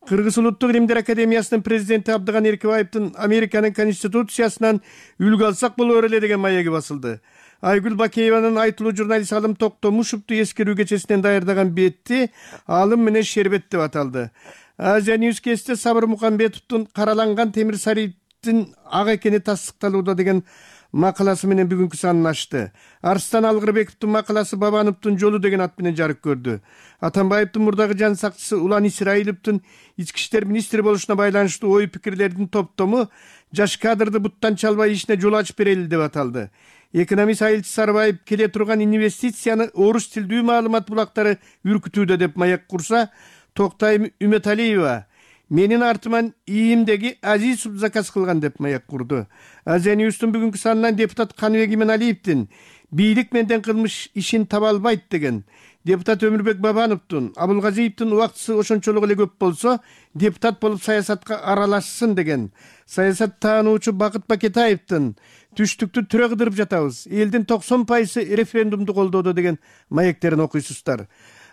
[SPEAKER 20] Кыргыз улуттук илимдер академиясынын президенти Абдыган Эркебаевдин Американын конституциясынан үлгү алсак болор эле деген маеги басылды. Айгүл Бакееванын айтылуу журналист Алым Токтомушевду эскерүү кечесинен даярдаган бетти алым менен шербет деп аталды. Азия Ньюс кесте Сабыр Мукамбетовдун караланган темир сариптин ак экени тасдыкталууда деген макаласы менен бүгүнкү санын ачты. Арстан Алгырбековдун макаласы Бабановдун жолу деген ат менен жарык көрдү. Атамбаевдин мурдагы жан сакчысы Улан Исраиловдун ички иштер министри болушуна байланыштуу ой пикирлердин топтому жаш кадрды буттан чалбай ишине жол ачып берели деп аталды. Экономист Айылчы Сарыбаев келе турган инвестицияны орус тилдүү маалымат булактары үркүтүүдө деп маек курса, Токтайым Үмөталиева менин артыман ийимдеги Азизов заказ кылган деп маек курду. Азия Ньюстун бүгүнкү санынан депутат Каныбек Иманалиевдин бийлик менден кылмыш ишин таба албайт деген, депутат Өмүрбек Бабановдун, Абылгазиевдин убактысы ошончолук эле көп болсо, депутат болуп саясатка аралашсын деген, саясат таануучу Бакыт Бакетаевдин түштүктү түрө кыдырып жатабыз, элдин токсон пайызы референдумду колдоду деген маектерин окуйсуздар.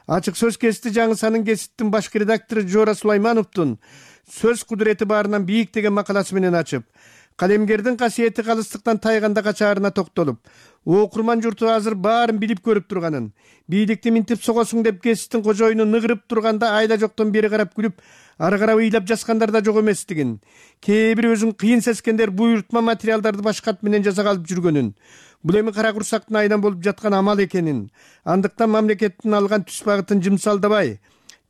[SPEAKER 20] Ачык сөз кести жаңы санын гезиттин башкы редактору Жора Сулаймановдун сөз кудурети баарынан бийик деген макаласы менен ачып, калемгердин касиети калыстыктан тайганда качаарына токтолуп, окурман журту азыр баарын билип көрүп турганын, бийликти минтип согосуң деп гезиттин кожоюну ныгырып турганда айла жоктон бери карап күлүп, ары карап ыйлап жазгандар да жок эместигин, кээ бир өзүн кыйын сескендер буйрутма материалдарды башка ат менен жасап алып жүргөнүн, бул эми кара курсактын айынан болуп жаткан амал экенин, андыктан мамлекеттин алган түз багытын жымсалдабай,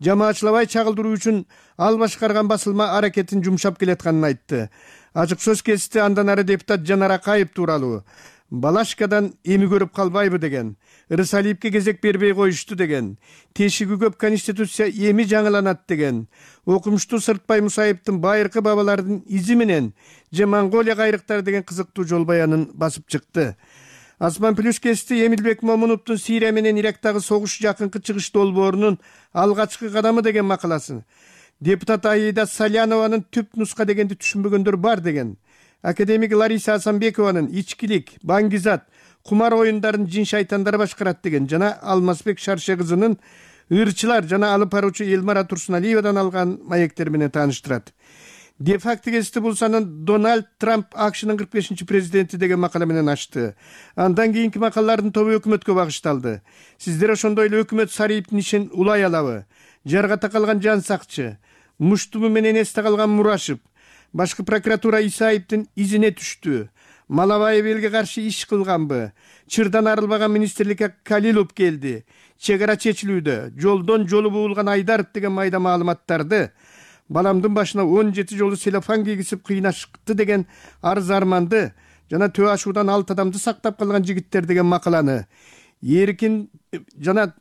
[SPEAKER 20] жамаачылабай чагылдыруу үчүн ал башкарган басылма аракетин жумшап келатканын айтты. Ачык сөз кести андан ары депутат Жанар Акаев тууралуу Балашкадан эми көрүп калбайбы деген, Ырысалиевке кезек бербей коюшту деген, тешиги көп конституция эми жаңыланат деген, окумуштуу Сыртбай Мусаевдин байыркы бабалардын изи менен же Монголия кайрыктары деген кызыктуу жол баянын басып чыкты. Асман Плюс кести Эмилбек Момуновдун Сирия менен Ирактагы согуш жакынкы чыгыш долбоорунун алгачкы кадамы деген макаласы, депутат Аида Салянованын түп нуска дегенди түшүнбөгөндөр бар деген, академик Лариса Асанбекованын ичкилик, баңгизат, кумар оюндарын жин шайтандар башкарат деген жана Алмазбек Шарше кызынын ырчылар жана алып баруучу Элмара Турсуналиевадан алган маектер менен тааныштырат. Де-факто гезити бул санын Дональд Трамп АКШнын кырк бешинчи президенти деген макала менен ачты. Андан кийинки макалалардын тобу өкмөткө багышталды. Сиздер ошондой эле өкмөт Сариевдин ишин улай алабы? Жарга такалган жан сакчы, муштуму менен эсте калган Мурашев, башкы прокуратура Исаевдин изине түштү. Малабаев элге каршы иш кылганбы? Чырдан арылбаган министрликке Калилов келди. Чегара чечилүүдө, жолдон жолу буулган Айдаров деген майда маалыматтарды, баламдын башына он жети жолу селофан кийгизип кыйнашты деген арыз арманды жана төө ашуудан алты адамды сактап калган жигиттер деген макаланы, Эркин жана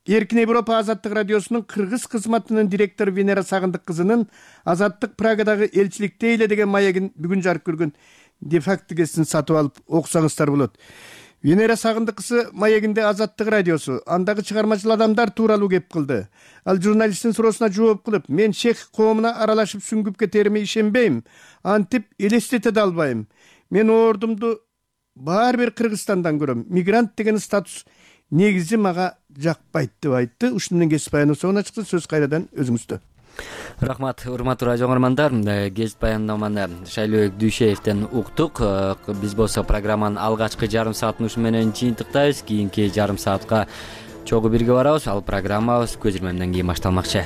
[SPEAKER 20] Эркин Европа Азаттык радиосунун кыргыз кызматынын директору Венера Сагындык кызынын Азаттык Прагадагы элчиликте эле деген маегин бүгүн жарык көргөн де-факто гезитин сатып алып окусаңыздар болот. Венера Сагындыкысы маегинде Азаттык радиосу андагы чыгармачыл адамдар тууралуу кеп кылды. Ал журналисттин суроосуна жооп кылып, мен чех коомуна аралашып сүңгүп кетериме ишенбейм, антип элестете да албайм. Мен ордумду баары бир Кыргызстандан көрөм. Мигрант деген статус негизи мага жакпайт деп айтты. Ушуну менен кесип баяндоо соңуна чыкты. Сөз кайрадан өзүңүздө.
[SPEAKER 1] Рахмат, урматтуу радио көрөрмандар. Кесип баяндаманы Шайлообек Дүйшеевден уктук. Биз болсо программанын алгачкы жарым саатын ушу менен жыйынтыктайбыз. Кийинки жарым саатка чогуу бирге барабыз. Ал программабыз көзүрмөмдөн кийин башталмакчы.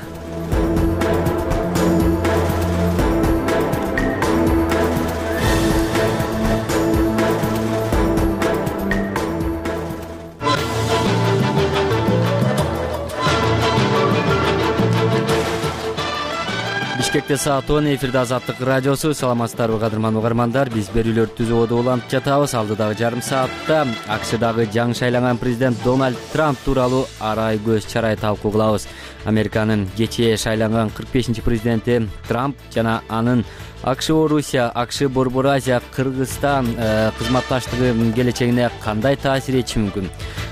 [SPEAKER 1] Бишкекте саат он, эфирде Азаттык радиосу. Саламатсыздарбы кадырман угармандар? Биз берүүлөрдү түзүүгө улантып жатабыз. Алдыдагы жарым саатта АКШдагы жаңы шайланган президент Дональд Трамп тууралуу арай көз чарай талкуу кылабыз. Американын кечээ шайланган кырк бешинчи президенти Трамп жана анын АКШ Орусия, АКШ Борбор Азия, Кыргызстан кызматташтыгы келечегине кандай таасир этиши мүмкүн?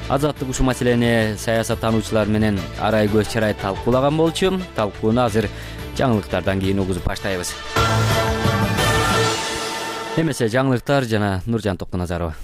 [SPEAKER 1] Азаттык ушул маселени саясаттануучулар менен арай көз чарай талкуулаган болчу. Талкууну азыр жаңылыктардан кийин угузуп баштайбыз. Эмесе жаңылыктар жана Нуржан Токтоназарова.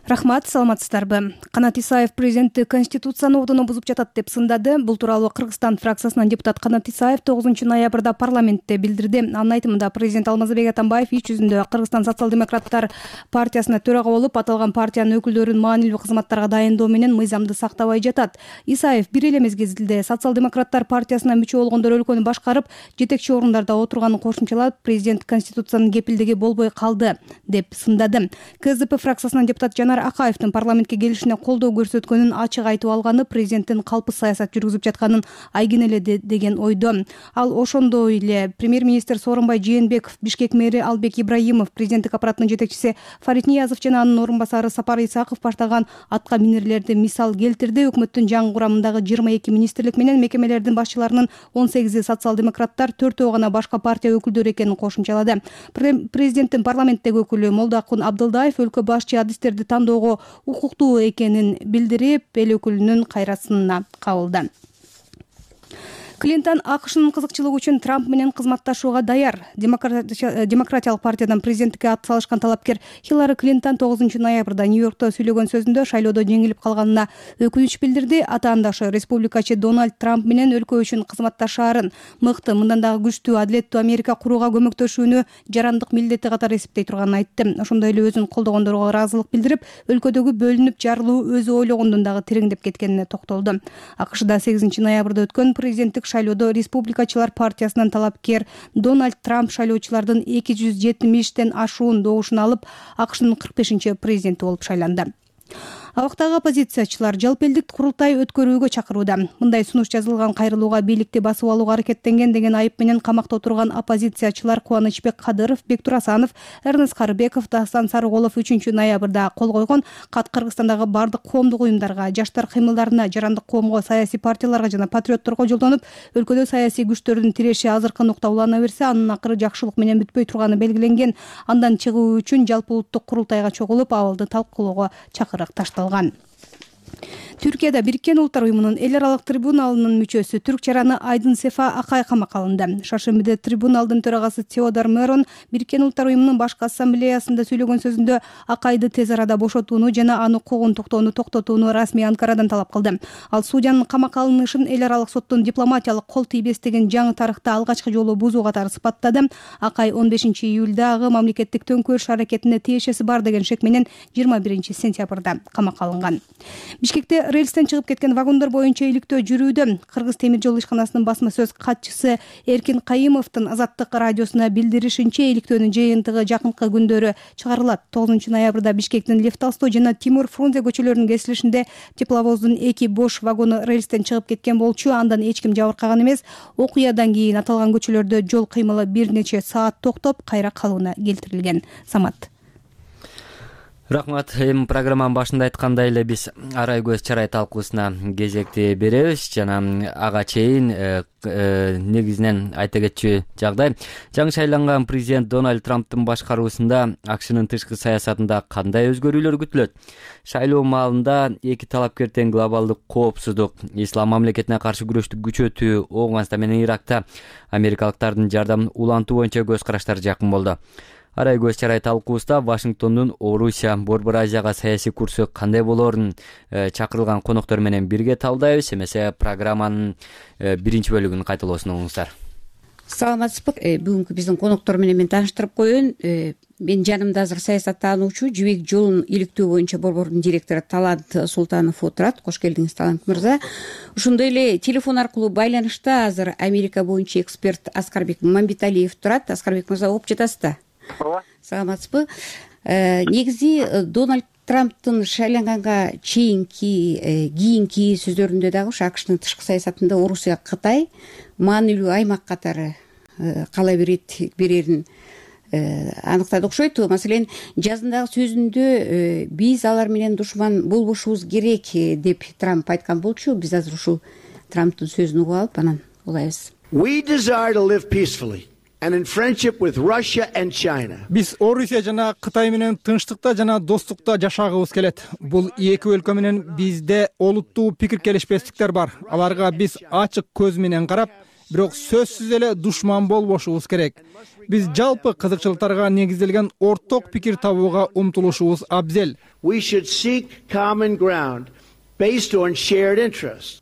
[SPEAKER 4] Рахмат, саламатсыздарбы? Канат Исаев президенти Конституцияны ордуна бузуп жатат деп сындады. Бул тууралуу Кыргызстан фракциясынан депутат Канат Исаев тогузунчу ноябрда парламентте билдирди. Анын айтымында президент Алмазбек Атамбаев иш жүзүндө Кыргызстан социал-демократтар партиясына төрага болуп, аталган партиянын өкүлдөрүн маанилүү кызматтарга дайындоо менен мыйзамды сактабай жатат. Исаев бир эле мезгилде социал-демократтар партиясына мүчө болгондор өлкөнү башкарып, жетекчи орундарда отурганын кошумчалап, президент Конституциянын кепилдиги болбой калды деп сындады. КСДП фракциясынан депутат Жанар Акаевдин парламентке келишине колдоо көрсөткөнүн ачык айтып алганы президенттин калпсыз саясат жүргүзүп жатканын айгинеледи деген ойдо. Ал ошондой эле премьер-министр Сооронбай Жээнбеков, Бишкек мэри Албек Ибраимов, президенттик аппаратынын жетекчиси Фарид Ниязов жана анын орун басары Сапар Исаков баштаган атка минерлерди мисал келтирди. Өкмөттүн жаңы курамындагы жыйырма эки министрлик менен мекемелердин башчыларынын он сегизи социал-демократтар, төртөө гана башка партия өкүлдөрү экенин кошумчалады. Президенттин парламенттеги өкүлү Молдокун Абдылдаев өлкө башчы адистерди тандоого укуктуу экенин билдирип, эл өкүлүнүн кайрасына кабылды. Клинтон АКШнын кызыкчылыгы үчүн Трамп менен кызматташууга даяр. Демократиялык партиядан президенттикке ат салышкан талапкер Хиллари Клинтон тогузунчу ноябрда Нью-Йоркто сүйлөгөн сөзүндө шайлоодо жеңилип калганына өкүнүч билдирди. Атаандашы республикачы Дональд Трамп менен өлкө үчүн кызматташаарын, мыкты, мындан дагы күчтүү, адилеттүү Америка курууга көмөктөшүүнү жарандык милдети катары эсептей турганын айтты. Ошондой эле өзүн колдогондорго ыраазылык билдирип, өлкөдөгү бөлүнүп жарылуу өзү ойлогондон дагы тереңдеп кеткенине токтолду. АКШда сегизинчи ноябрда өткөн президенттик шайлоодо республикачылар партиясынан талапкер Дональд Трамп шайлоочулардын эки жүз жетимиштен ашуун добушун алып, АКШнын кырк бешинчи президенти болуп шайланды. Абактагы оппозициячылар жалпы элдик курултай өткөрүүгө чакырууда. Мындай сунуш жазылган кайрылууга бийликти басып алууга аракеттенген деген айып менен камакта отурган оппозициячылар Кубанычбек Кадыров, Бектур Асанов, Эрнест Карыбеков, Дастан Сарыголов үчүнчү ноябрда кол койгон кат Кыргызстандагы бардык коомдук уюмдарга, жаштар кыймылдарына, жарандык коомго, саясий партияларга жана патриотторго жолдонуп, өлкөдө саясий күчтөрдүн тиреши азыркы нукта улана берсе, анын акыры жакшылык менен бүтпөй турганы белгиленген. Андан чыгуу үчүн жалпы улуттук курултайга чогулуп, абалды талкуулоого чакырык ташталган. Түркияда Бириккен Улуттар уюмунун эл аралык трибуналынын мүчөсү түрк жараны Айдын Сефа Акай камакка алынды. Шаршембиде трибуналдын төрагасы Теодор Мерон Бириккен Улуттар уюмунун башкы ассамблеясында сүйлөгөн сөзүндө Акайды тез арада бошотууну жана аны куугунтуктоону токтотууну расмий Анкарадан талап кылды. Ал судьянын камакка алынышын эл аралык соттун дипломатиялык кол тийбестигин жаңы тарыхта алгачкы жолу бузуу катары сыпаттады. Акай он бешинчи июлдагы мамлекеттик төңкөрүш аракетине тиешеси бар деген шек менен жыйырма биринчи сентябрда камакка алынган. Бишкекте рельстен чыгып кеткен вагондор боюнча иликтөө жүрүүдө. Кыргыз темир жол ишканасынын басма сөз катчысы Эркин Кайымовдун Азаттык радиосуна билдиришинче, иликтөөнүн жыйынтыгы жакынкы күндөрү чыгарылат. тогузунчу ноябрда Бишкектин Лев Толстой жана Тимур Фрунзе көчөлөрүнүн кесилишинде тепловоздун эки бош вагону рельстен чыгып кеткен болчу. Андан эч ким жабыркаган эмес. Окуядан кийин аталган көчөлөрдө жол кыймылы бир нече саат токтоп, кайра калууна келтирилген. Самат.
[SPEAKER 1] Рахмат. Эми программанын башында айткандай эле биз арай көз чарай талкуусуна кезекти беребиз жана ага чейин негизинен айта кетчү жагдай жаңы шайланган президент Дональд Трамптын башкаруусунда АКШнын тышкы саясатында кандай өзгөрүүлөр күтүлөт? Шайлоо маалында эки талапкер тең глобалдык коопсуздук, ислам мамлекетине каршы күрөштү күчөтүү, Ооганстан менен Иракта америкалыктардын жардамын улантуу боюнча көз караштары жакын болду. Арай көз чарай талкуусунда Вашингтондун Орусия, Борбор Азияга саясий курсу кандай болоорун чакырылган коноктор менен бирге талдайбыз. Эмесе программанын биринчи бөлүгүн кайталоосун угуңуздар.
[SPEAKER 19] Саламатсызбы? Бүгүнкү биздин коноктор менен мен тааныштырып коеюн. Менин жанымда азыр саясаттануучу, жибек жолун иликтөө боюнча борбордун директору Талант Султанов отурат. Кош келдиңиз, Талант мырза. Ошондой эле телефон аркылуу байланышта азыр Америка боюнча эксперт Аскарбек Мамбеталиев турат. Аскарбек мырза, угуп жатасызбы?
[SPEAKER 21] Ооба.
[SPEAKER 19] Саламатсызбы? Негизи Дональд Трамптын шайланганга чейинки кийинки сөздөрүндө дагы ушу АКШнын тышкы саясатында Орусия, Кытай маанилүү аймак катары кала берерин аныктады окшойт. Маселен, жазындагы сөзүндө биз алар менен душман болбошубуз керек деп Трамп айткан болчу. Биз азыр ушул Трамптын сөзүн угуп алып анан улайбыз.
[SPEAKER 21] We desire to live peacefully and in friendship with Russia and China.
[SPEAKER 3] Биз Орусия жана Кытай менен тынчтыкта жана достукта жашагыбыз келет. Бул эки өлкө менен бизде олуттуу пикир келишпестиктер бар. Аларга биз ачык көз менен карап, бирок сөзсүз эле душман болбошубуз керек. Биз жалпы кызыкчылыктарга негизделген орток пикир табууга умтулушубуз абзел.
[SPEAKER 21] We should seek common ground based on shared interests.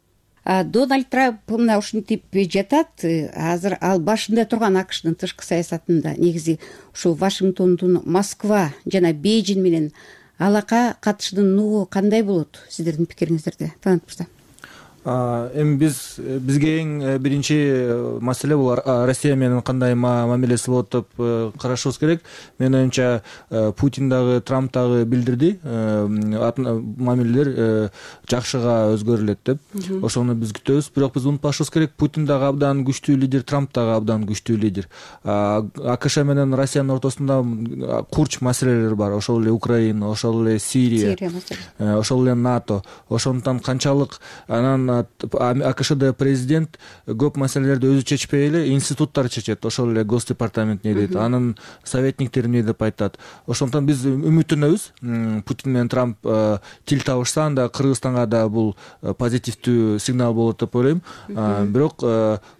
[SPEAKER 19] Дональд Трамп мына ушинтип жатат. Азыр ал башында турган АКШнын тышкы саясатында негизи ушу Вашингтондун Москва жана Бейжин менен алака катышынын нугу кандай болот? Сиздердин пикириңиздерде, Талант мырза.
[SPEAKER 22] Эми биз бизге эң биринчи маселе бул Россия менен кандай мамилеси болот деп карашыбыз керек. Менин оюмча Путин дагы, Трамп дагы билдирди, мамилелер жакшыга өзгөрүлөт деп. Ошону биз күтөбүз. Бирок биз унутпашыбыз керек, Путин дагы абдан күчтүү лидер, Трамп дагы абдан күчтүү лидер. АКШ менен Россиянын ортосунда курч маселелер бар. Ошол эле Украина, ошол эле Сирия, ошол эле НАТО. Ошондуктан канчалык анан АКШда президент көп маселелерди өзү чечпей эле институттар чечет. Ошол эле Госдепартамент не дейт, анын советниктери эмне деп айтат. Ошондуктан биз үмүттөнөбүз. Путин менен Трамп тил табышса, анда Кыргызстанга да бул позитивдүү сигнал болот деп ойлойм. Бирок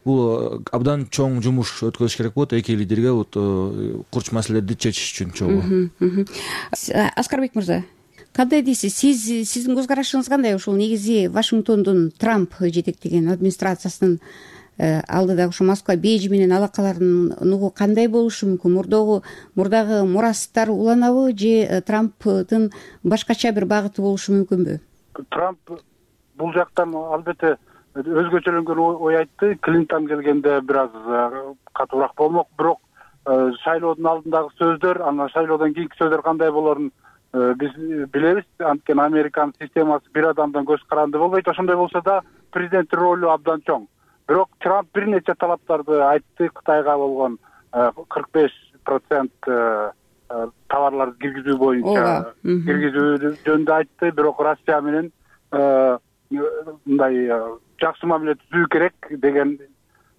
[SPEAKER 22] бул абдан чоң жумуш өткөрүш керек болот эки лидерге вот курч маселелерди чечиш үчүн чогуу.
[SPEAKER 19] Аскарбек мырза, кандай дейсиз? Сиз сиздин көз карашыңыз кандай? Ушул негизи Вашингтондун Трамп жетектеген администрациясынын алдыдагы ушу Москва, Бейжин менен алакаларынын нугу кандай болушу мүмкүн? Мурдагы мурдагы мурастар уланабы же Трамптын башкача бир багыты болушу мүмкүнбү?
[SPEAKER 21] Трамп бул жактан албетте өзгөчөлөнгөн ой айтты. Клинтон келгенде бир аз катуураак болмок, бирок шайлоодун алдындагы сөздөр, анан шайлоодон кийинки сөздөр кандай болоорун биз билебиз. Анткени Американын системасы бир адамдан көз каранды болбойт. Ошондой болсо да президенттин ролу абдан чоң. Бирок Трамп бир нече талаптарды айтты. Кытайга болгон кырк беш процент товарларды киргизүү боюнча киргизүү жөнүндө айтты. Бирок Россия менен мындай жакшы мамиле түзүү керек деген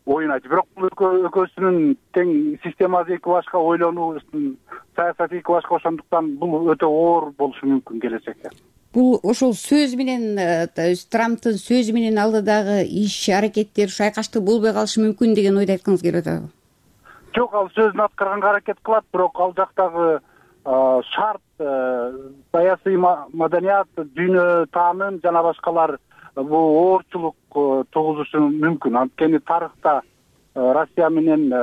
[SPEAKER 21] оюн айтты. Бирок бул экөөсүнүн тең системасы эки башка, ойлонуусунун саясаты эки башка, ошондуктан бул өтө оор болушу мүмкүн келечекте.
[SPEAKER 19] Бул ошол сөз менен, Трамптын сөзү менен алдыдагы иш аракеттер шайкаштык болбой калышы мүмкүн деген ойду айткыңыз келип атабы?
[SPEAKER 21] Жок, ал сөзүн аткарганга аракет кылат, бирок ал жактагы шарт, саясий маданият, дүйнө таанын жана башкалар бул оорчулук тугузушу мүмкүн. Анткени тарыхта Россия менен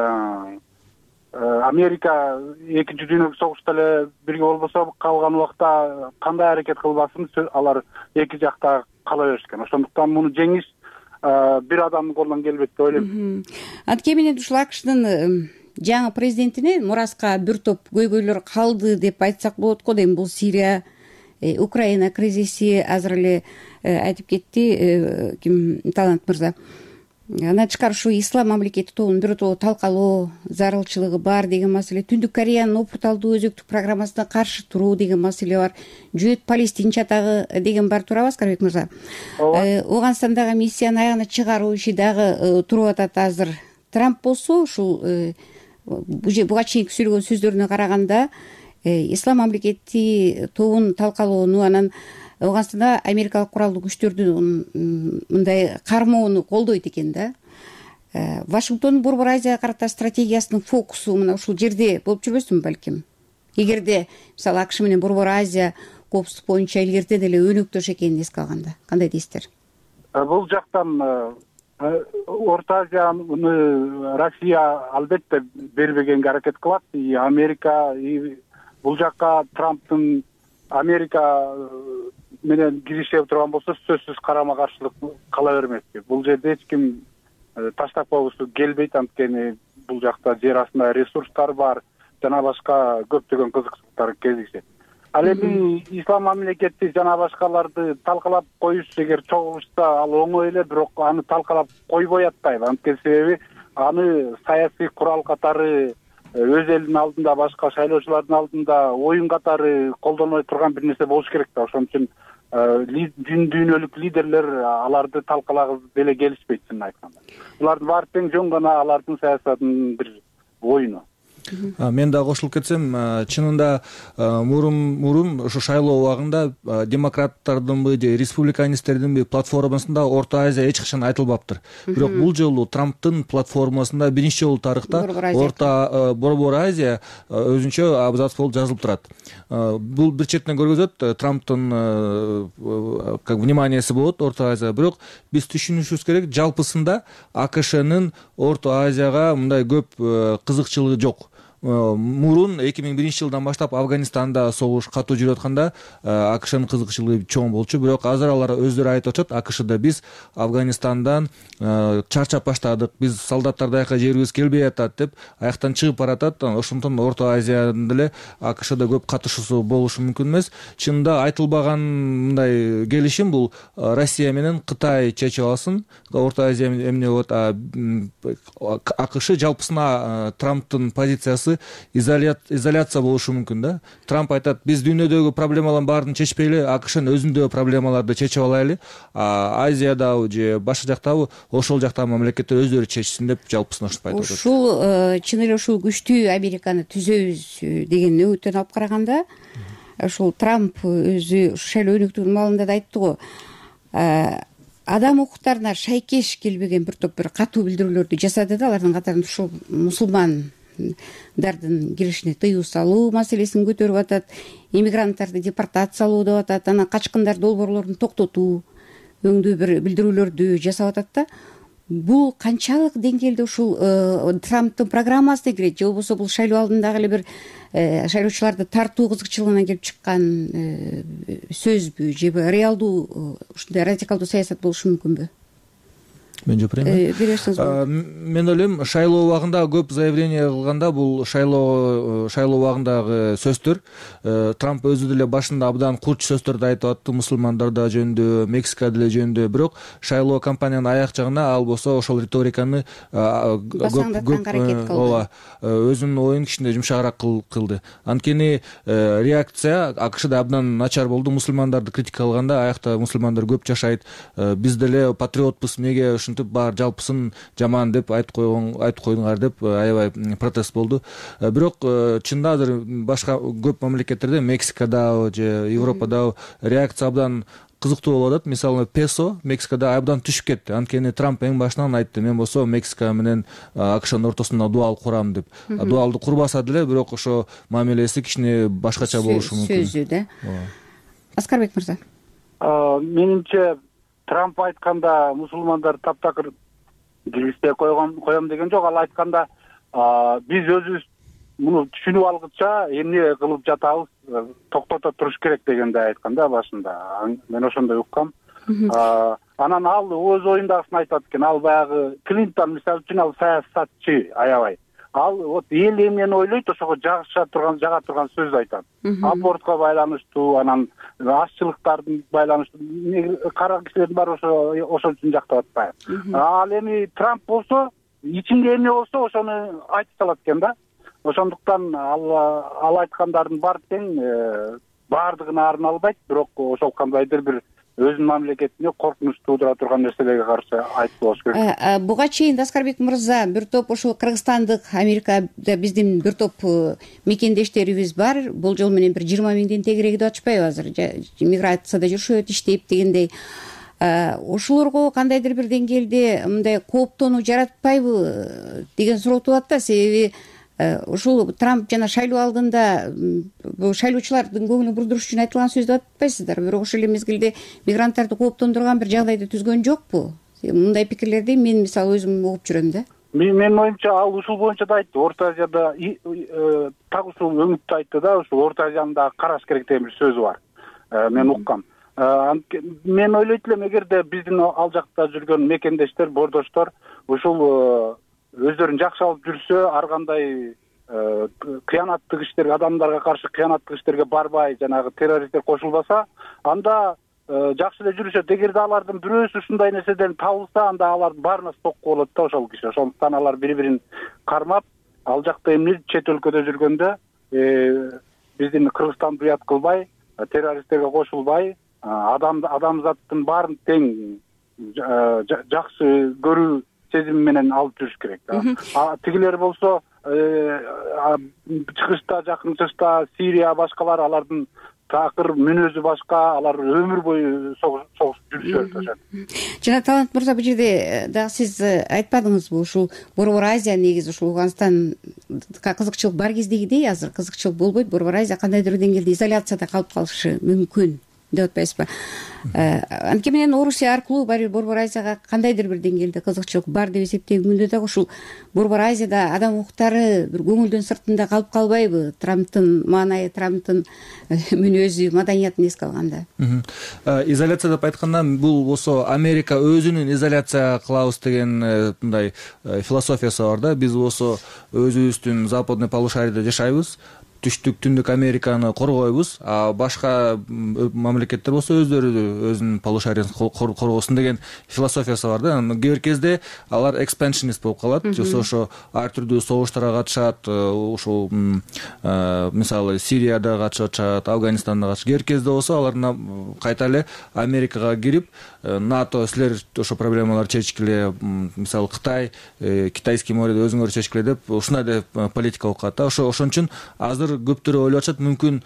[SPEAKER 21] Америка экинчи дүйнөлүк согушта эле бирге болбосо, калган убакта кандай аракет кылбасын алар эки жакта кала беришкен. Ошондуктан муну жеңиш бир адамдын колунан келбейт деп ойлойм.
[SPEAKER 19] Анткени менен ушул АКШнын жаңы президентине мураска бир топ көйгөйлөр калды деп айтсак болот го. Эми бул Сирия, Украина кризиси азыр эле айтып кетти ким, Талант мырза.
[SPEAKER 5] андан тышкары ушу ислам мамлекети тобунун биротоло талкалоо зарылчылыгы бар деген маселе, Түндүк Кореянын опурталдуу өзөктүк программасына каршы туруу деген маселе бар, жүйөт палестин чатагы деген бар туурабы Аскарбек мырза? Ооганстандагы миссияны аягына чыгаруу иши дагы туруп атат азыр. Трамп болсо ушул буга чейинки сүйлөгөн сөздөрүнө караганда ислам мамлекети тобун талкалоону, анан Ооганстанда америкалык куралдуу күчтөрдүн мындай кармоону колдойт экен да. Вашингтондун Борбор Азияга карата стратегиясынын фокусу мына ушул жерде болуп жүрбөсүнбү балким? Эгерде мисалы АКШ менен Борбор Азия коопсуздук боюнча илгертен эле өнөктөш экенин эске алганда кандай дейсиздер?
[SPEAKER 21] Бул жактан Орто Азияны Россия албетте бербегенге аракет кылат. Америка бул жакка Трамптын Америка менен киришип турган болсо сөзсүз карама каршылык кала бермеспи. Бул жерде эч ким таштап койгусу келбейт, анткени бул жакта жер астында ресурстар бар, жана башка көптөгөн кызыкчылыктар кезигишет. Ал эми ислам мамлекети жана башкаларды талкалап коюш эгер чогулушса ал оңой эле, бирок аны талкалап койбой атпайбы. Анткени себеби аны саясий курал катары өз элинин алдында, башка шайлоочулардын алдында оюн катары колдонбой турган бир нерсе болуш керек да. Ошон үчүн дүн дүйнөлүк лидерлер аларды талкалагысы деле келишпейт, чынын айтканда. Булардын баары тең жөн гана алардын саясатынын бир оюну.
[SPEAKER 22] Мен да кошулуп кетсем, чынында мурун мурун ошо шайлоо убагында демократтардынбы же республиканисттердинби платформасында Орто Азия эч качан айтылбаптыр. Бирок бул жолу Трамптын платформасында биринчи жолу тарыхта Орто Борбор Азия өзүнчө абзац болуп жазылып турат. Бул бир четинен көргөзөт Трамптын как вниманиясы болот Орто Азия, бирок биз түшүнүшүбүз керек, жалпысында АКШнын Орто Азияга мындай көп кызыкчылыгы жок. Мурун эки миң биринчи жылдан баштап Афганистанда согуш катуу жүрүп атканда АКШнын кызыкчылыгы чоң болчу, бирок азыр алар өздөрү айтып атышат, АКШда биз Афганистандан чарчап баштадык, биз солдаттар даяка жерибиз келбей атат деп аяктан чыгып баратат. Ошондон Орто Азиядан деле АКШда көп катышуусу болушу мүмкүн эмес. Чынында айтылбаган мындай келишим бул Россия менен Кытай чечип алсын. Орто Азия эмне болот? АКШ жалпысына Трамптын позициясы изоляция болушу мүмкүн да. Трамп айтат, биз дүйнөдөгү проблемалардын баарын чечпейли, АКШнын өзүндөгү проблемаларды чечип алайлы. Азиядабы же башка жактабы ошол жактагы мамлекеттер өздөрү чечсин деп жалпысына ушинтип айтып атат.
[SPEAKER 5] Ушул чын эле ушул күчтүү Американы түзөбүз деген үмүттөн алып караганда, ушул Трамп өзү шайлоо өнөктүгүнүн маалында да айтты го. Адам укуктарына шайкеш келбеген бир топ бир катуу билдирүүлөрдү жасады да, алардын катарында ушул мусулман дардын киришине тыюу салуу маселесин көтөрүп атат, иммигранттарды депортациялоо деп атат, анан качкындар долбоорлорун токтотуу өңдүү бир билдирүүлөрдү жасап атат да. Бул канчалык деңгээлде ушул Трамптын программасына кирет, же болбосо бул шайлоо алдындагы эле бир шайлоочуларды тартуу кызыкчылыгынан келип чыккан сөзбү, же реалдуу ушундай радикалдуу саясат болушу мүмкүнбү?
[SPEAKER 22] Мен жоопрем. Мен ойлойм, шайлоо убагында көп заявление кылганда бул шайлоо шайлоо убагындагы сөздөр Трамп өзү деле башында абдан курч сөздөрдү айтып атты, мусулмандар да жөнүндө, Мексика деле жөнүндө, бирок шайлоо кампаниянын аяк жагына ал болсо ошол риториканы көп ооба өзүнүн оюн кичине жумшагыраак кылды. Анткени реакция АКШда абдан начар болду. Мусулмандарды критикалаганда аякта мусулмандар көп жашайт, биз деле патриотпуз, эмнеге ушинтип баар жалпысын жаман деп айтып койгон айтып койдуңар деп аябай протест болду. Бирок чында азыр башка көп мамлекеттерде, Мексикада же Европада реакция абдан кызыктуу болуп атат. Мисалы, песо Мексикада абдан түшүп кетти. Анткени Трамп эң башынан айтты, мен болсо Мексика менен АКШнын ортосунда дуал курам деп. Дуалды курбаса деле, бирок ошо мамилеси кичине башкача болушу мүмкүн.
[SPEAKER 5] Сөзү да. Аскарбек мырза.
[SPEAKER 21] Менимче Трамп айтканда мусулмандар таптакыр киргизбей койгон коем деген жок. Ал айтканда биз өзүбүз муну түшүнүп алгыча эмне кылып жатабыз, токтото туруш керек дегенде айтканда башында. Мен ошондой уккам. Анан ал өз оюндагысын айтат экен. Ал баягы Клинтон мисалы үчүн ал саясатчы аябай. ал вот эл эмнени ойлойт ошого жагыша турган жага турган сөз айтат. Абортко байланыштуу, анан ашчылыктардын байланыштуу кара кишилердин баары ошо ошол үчүн жактап атпайбы. Ал эми Трамп болсо ичинде эмне болсо ошону айтып салат экен да. Ошондуктан ал ал айткандардын баары тең баардыгына арын албайт, бирок ошол кандайдыр бир өзүнүн мамлекетине коркунуч туудура турган нерселерге каршы айтып болуш керек.
[SPEAKER 5] Буга чейин Аскарбек мырза бир топ ушул кыргызстандык Америкада биздин бир топ мекендештерибиз бар. Болжол менен бир жыйырма миңден тегерээги деп атышпайбы азыр? Миграцияда жүрүшөт, иштейт дегендей. Ошолорго кандайдыр бир деңгээлде мындай кооптонуу жаратпайбы деген суроо туулат да. Себеби ушул Трамп жана шайлоо алдында шайлоочулардын көңүлүн бурдуруш үчүн айтылган сөз деп атпайсыздар, бирок ошол эле мезгилде мигранттарды кооптондурган бир жагдайды түзгөн жокпу? Мындай пикирлерди мен мисалы өзүм угуп жүрөм да.
[SPEAKER 21] Менин оюмча ал ушул боюнча да айтты. Орто Азияда так ушул өңүттү айтты да, ушул Орто Азияны да караш керек деген бир сөзү бар. Мен уккам. Мен ойлойт элем, эгерде биздин ал жакта жүргөн мекендештер, бордоштор ушул өздөрүн жакшы алып жүрсө, ар кандай кыянаттык иштерге, адамдарга каршы кыянаттык иштерге барбай, жанагы террористтер кошулбаса, анда жакшы эле жүрүшөт. Эгерде алардын бирөөсү ушундай нерседен табылса, анда алардын баарына стокко болот да ошол киши. Ошондуктан алар бири-бирин кармап, ал жакта эмне чет өлкөдө жүргөндө биздин Кыргызстанды уят кылбай, террористтерге кошулбай, адам адамзаттын баарын тең жакшы көрүү сезим менен алып жүрүш керек да. Тигилер болсо чыгышта, жакын чыгышта Сирия башкалар, алардын такыр мүнөзү башка, алар өмүр бою согуш жүрүшөт ошо.
[SPEAKER 5] Жана Талант мырза, бул жерде дагы сиз айтпадыңызбы, ушул Борбор Азия негизи ушул Афганистанга кызыкчылык бар кездегидей азыр кызыкчылык болбойт, Борбор Азия кандайдыр деңгээлде изоляцияда калып калышы мүмкүн деп атпайсызбы? Анткени менен Орусия аркылуу баары Борбор Азияга кандайдыр бир деңгээлде кызыкчылык бар деп эсептегүндө дагы ушул Борбор Азияда адам укуктары бир көңүлдөн сыртында калып калбайбы? Трамптын маанайы, Трамптын мүнөзү, маданиятын эске алганда.
[SPEAKER 22] Изоляция деп айтканда, бул болсо Америка өзүнүн изоляция кылабыз деген мындай философиясы бар да. Биз болсо өзүбүздүн западный полушарийде жашайбыз, түштүк түндүк Американы коргойбуз, а башка мамлекеттер болсо өздөрү өзүнүн полушариясын коргосун деген философиясы бар да. Кээ бир кезде алар экспаншинист болуп калат, жоксо ошо ар түрдүү согуштарга катышат, ушул мисалы Сирияда катышат, Афганистанда катышат. Кээ бир кезде болсо алар кайта эле Америкага кирип, НАТО силер ошо проблемаларды чечкиле, мисалы Кытай, Китайский морьду өзүңөр чечкиле деп ушундай деп политика окуп калат да. Ошо ошон үчүн азыр көптөр ойлоп атышат, мүмкүн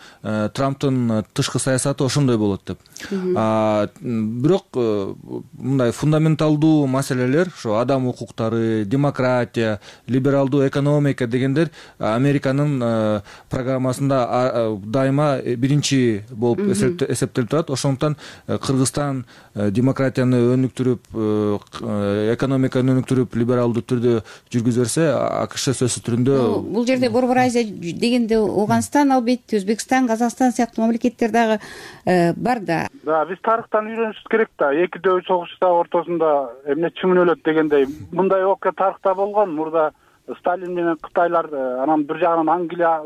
[SPEAKER 22] Трамптын тышкы саясаты ошондой болот деп. Бирок мындай фундаменталдуу маселелер, ошо адам укуктары, демократия, либералдуу экономика дегендер Американын программасында дайыма биринчи болуп эсептелип турат. Ошондуктан Кыргызстан демократияны өнүктүрүп, экономиканы өнүктүрүп, либералдуу түрдө жүргүзө берсе, АКШ сөзсүз түрүндө
[SPEAKER 5] бул жерде Борбор Азия дегенде Ауганстан, албетте Өзбекстан, Казакстан сыяктуу мамлекеттер дагы бар да.
[SPEAKER 21] Да, биз тарыхтан үйрөнүшүбүз керек да. Эки дөбү согуштар ортосунда эмне чүмүнөлөт дегендей мындай окуя тарыхта болгон. Мурда Сталин менен Кытайлар, анан бир жагынан Англия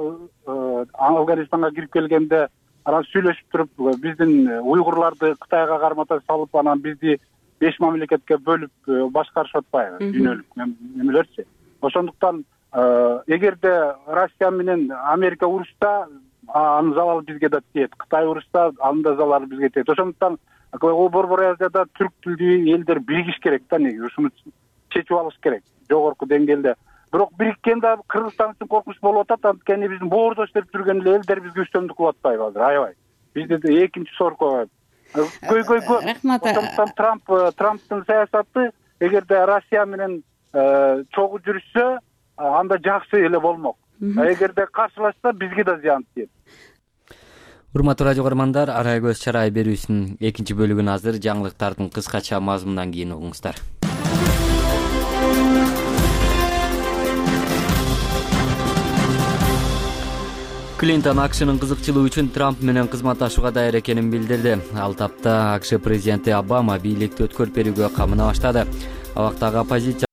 [SPEAKER 21] Афганистанга кирип келгенде, анан сүйлөшүп туруп, биздин уйгурларды Кытайга кармата салып, анан бизди беш мамлекетке бөлүп башкарышып атпайбы, дүйнөлүк эмелерчи. Ошондуктан эгерде Россия менен Америка урушса, анын залалы бизге да тиет. Кытай урушса, анын да залалы бизге тиет. Ошондуктан Борбор Азияда түрк тилдүү элдер биригиш керек да, неги ушуну чечип алыш керек жогорку деңгээлде. Бирок бириккенде Кыргызстан үчүн коркунуч болуп атат, анткени биздин боордош деп жүргөн эле элдер бизге үстөмдүк кылып атпайбы азыр, аябай. Бизде экинчи сорко көй-көй көп. Ошондуктан Трамп Трамптын саясаты эгерде Россия менен чогуу жүрүшсө, анда жакшы эле болмок. Эгерде каршылашса, бизге да зыян тиет.
[SPEAKER 1] Урматтуу радио көрөрмандар, Арай көз чарай берүүсүнүн экинчи бөлүгүн азыр жаңылыктардын кыскача мазмунунан кийин угуңуздар. Клинтон АКШнын кызыкчылыгы үчүн Трамп менен кызматташууга даяр экенин билдирди. Ал тапта АКШ президенти Обама бийликти өткөрүп берүүгө камына баштады. Абактагы оппозиция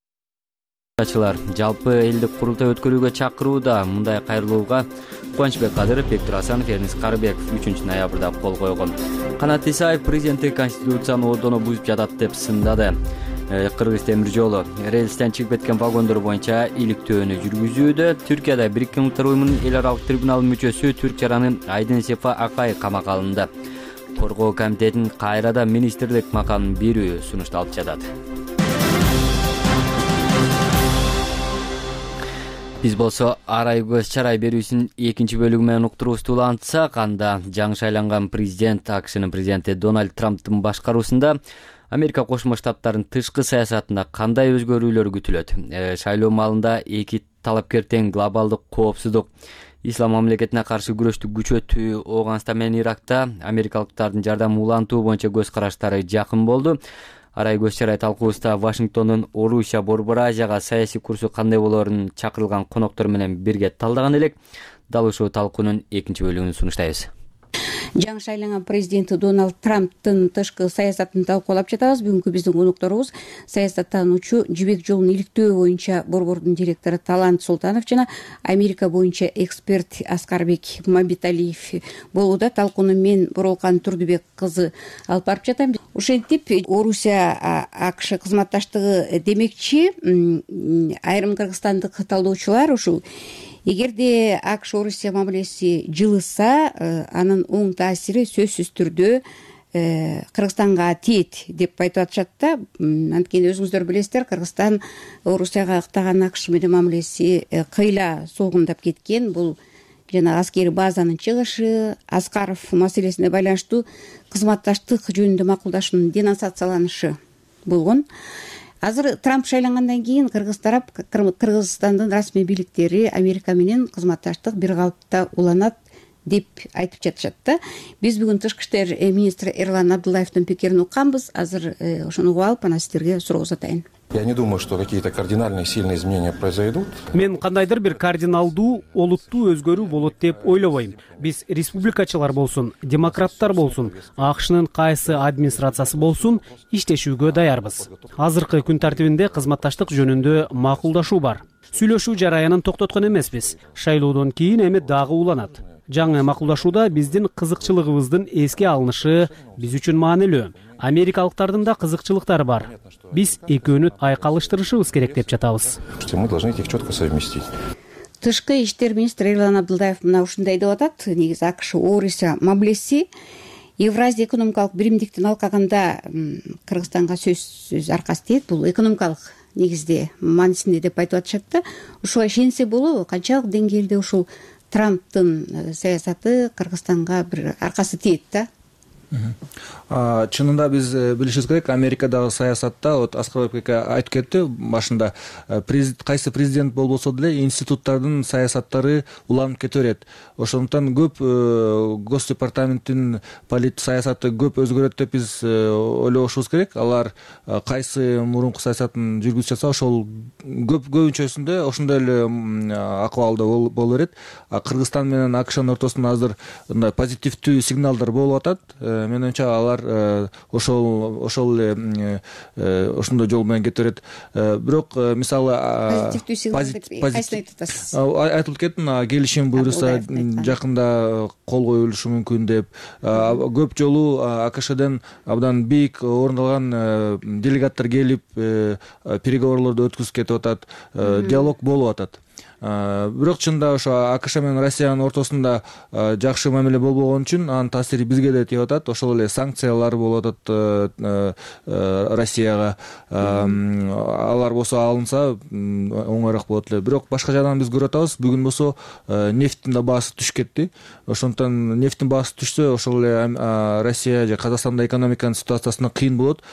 [SPEAKER 1] жалпы элдик курултай өткөрүүгө чакырууда. Мындай кайрылууга Кубанычбек Кадыров, Бектур Асанов, Эрнис Карыбеков үчүнчү ноябрда кол койгон. Канат Исаев президенттик конституцияны одоно бузуп жатат деп сындады. Кыргыз темир жолу рельстен чыгып кеткен вагондор боюнча иликтөөнү жүргүзүүдө. Түркияда Бириккен Улуттар Уюмунун эл аралык трибуналынын мүчөсү Түрк жараны Айдын Сефа Акай камакка алынды. Коргоо комитетинин кайрадан министрлик макамын берүү сунушталып жатат. Биз болсо арай көз чарай берүүсүнүн экинчи бөлүгү менен уктуруубузду улантсак, анда жаңы шайланган президент АКШнын президенти Дональд Трамптын башкаруусунда Америка Кошмо Штаттарынын тышкы саясатында кандай өзгөрүүлөр күтүлөт? Шайлоо маалында эки талапкер тең глобалдык коопсуздук, ислам мамлекетине каршы күрөштү күчөтүү, Ооганстан менен Иракта америкалыктардын жардамын улантуу боюнча көз караштары жакын болду. Арай көз чарай талкуубузда Вашингтондун Орусия, Борбор Азияга саясий курсу кандай болоорун чакырылган коноктор менен бирге талдаган элек. Дал ушул талкуунун экинчи бөлүгүн сунуштайбыз.
[SPEAKER 5] Жаңы шайланган президенти Дональд Трамптын тышкы саясатын талкуулап жатабыз. Бүгүнкү биздин конокторубуз саясаттануучу, Жибек жолун иликтөө боюнча борбордун директору Талант Султанов жана Америка боюнча эксперт Аскарбек Мамбеталиев болууда. Талкууну мен Боролкан Турдубек кызы алып барып жатам. Ошентип Орусия АКШ кызматташтыгы демекчи, айрым кыргызстандык талдоочулар ушул эгерде АКШ Орусия мамилеси жылыса, анын оң таасири сөзсүз түрдө Кыргызстанга тиет деп айтып атышат да. Анткени өзүңүздөр билесиздер, Кыргызстан Орусияга ыктаган АКШ менен мамилеси кыйла согундап кеткен. Бул жана аскери базанын чыгышы, Аскаров маселесине байланыштуу кызматташтык жөнүндө макулдашуунун денонсацияланышы болгон. Азыр Трамп шайлангандан кийин кыргыз тарап Кыргызстандын расмий бийликтери Америка менен кызматташтык бир калыпта уланат деп айтып жатышат да. Биз бүгүн тышкы иштер министри Эрлан Абдуллаевдин пикирин укканбыз. Азыр ошону угуп алып, анан сиздерге суроо узатайын.
[SPEAKER 6] Я не думаю, что какие-то кардинальные сильные изменения произойдут.
[SPEAKER 7] Мен кандайдыр бир кардиналдуу, олуттуу өзгөрүү болот деп ойлобойм. Биз республикачылар болсун, демократтар болсун, АКШнын кайсы администрациясы болсун, иштешүүгө даярбыз. Азыркы күн тартибинде кызматташтык жөнүндө макулдашуу бар. Сүйлөшүү жараянын токтоткон эмеспиз. Шайлоодон кийин эми дагы уланат. Жаңы макулдашууда биздин кызыкчылыгыбыздын эске алынышы биз үчүн маанилүү. Америкалыктардын да кызыкчылыктары бар. Биз экөөнү айкалыштырышыбыз керек деп жатабыз.
[SPEAKER 6] Мы должны их четко совместить.
[SPEAKER 5] Тышкы иштер министри Эрлан Абдуллаев мына ушундай деп атат. Негизи АКШ Орусия мамилеси Евразия экономикалык биримдиктин алкагында Кыргызстанга сөзсүз аркасы тиет. Бул экономикалык негизде маанисинде деп айтып атышат да. Ушуга ишенсе болобу? Канчалык деңгээлде ушул Трамптын саясаты Кыргызстанга бир аркасы тиет да?
[SPEAKER 22] Чынында биз билишибиз керек, Америкадагы саясатта, вот Аскарбек айтып кетти башында, кайсы президент болбосо деле институттардын саясаттары уланып кете берет. Ошондуктан көп Гос департаменттин полит саясаты көп өзгөрөт деп биз ойлошубуз керек. Алар кайсы мурунку саясатын жүргүзүп жатса, ошол көп көбүнчөсүндө ошондой эле акыбалда боло берет. Кыргызстан менен АКШнын ортосунда азыр мындай позитивдүү сигналдар болуп атат. Мен оюмча алар ошол ошол эле ошондой жол менен кете берет. Бирок мисалы
[SPEAKER 5] позитивдүү сигнал деп кайсыны айтып атасыз?
[SPEAKER 22] Айтылып кетти, келишим буюрса жакында кол коюлушу мүмкүн деп. Көп жолу АКШден абдан бийик орун алган делегаттар келип переговорлорду өткүзүп кетип атат, диалог болуп атат. Бирок чында ошо АКШ менен Россиянын ортосунда жакшы мамиле болбогон үчүн анын таасири бизге да тийип атат. Ошол эле санкциялар болуп атат Россияга. Алар болсо алынса оңоюраак болот эле. Бирок башка жагдан биз көрүп атабыз, бүгүн болсо нефттин да баасы түшүп кетти. Ошондуктан нефттин баасы түшсө, ошол эле Россия же Казакстанда экономиканын ситуациясына кыйын болот.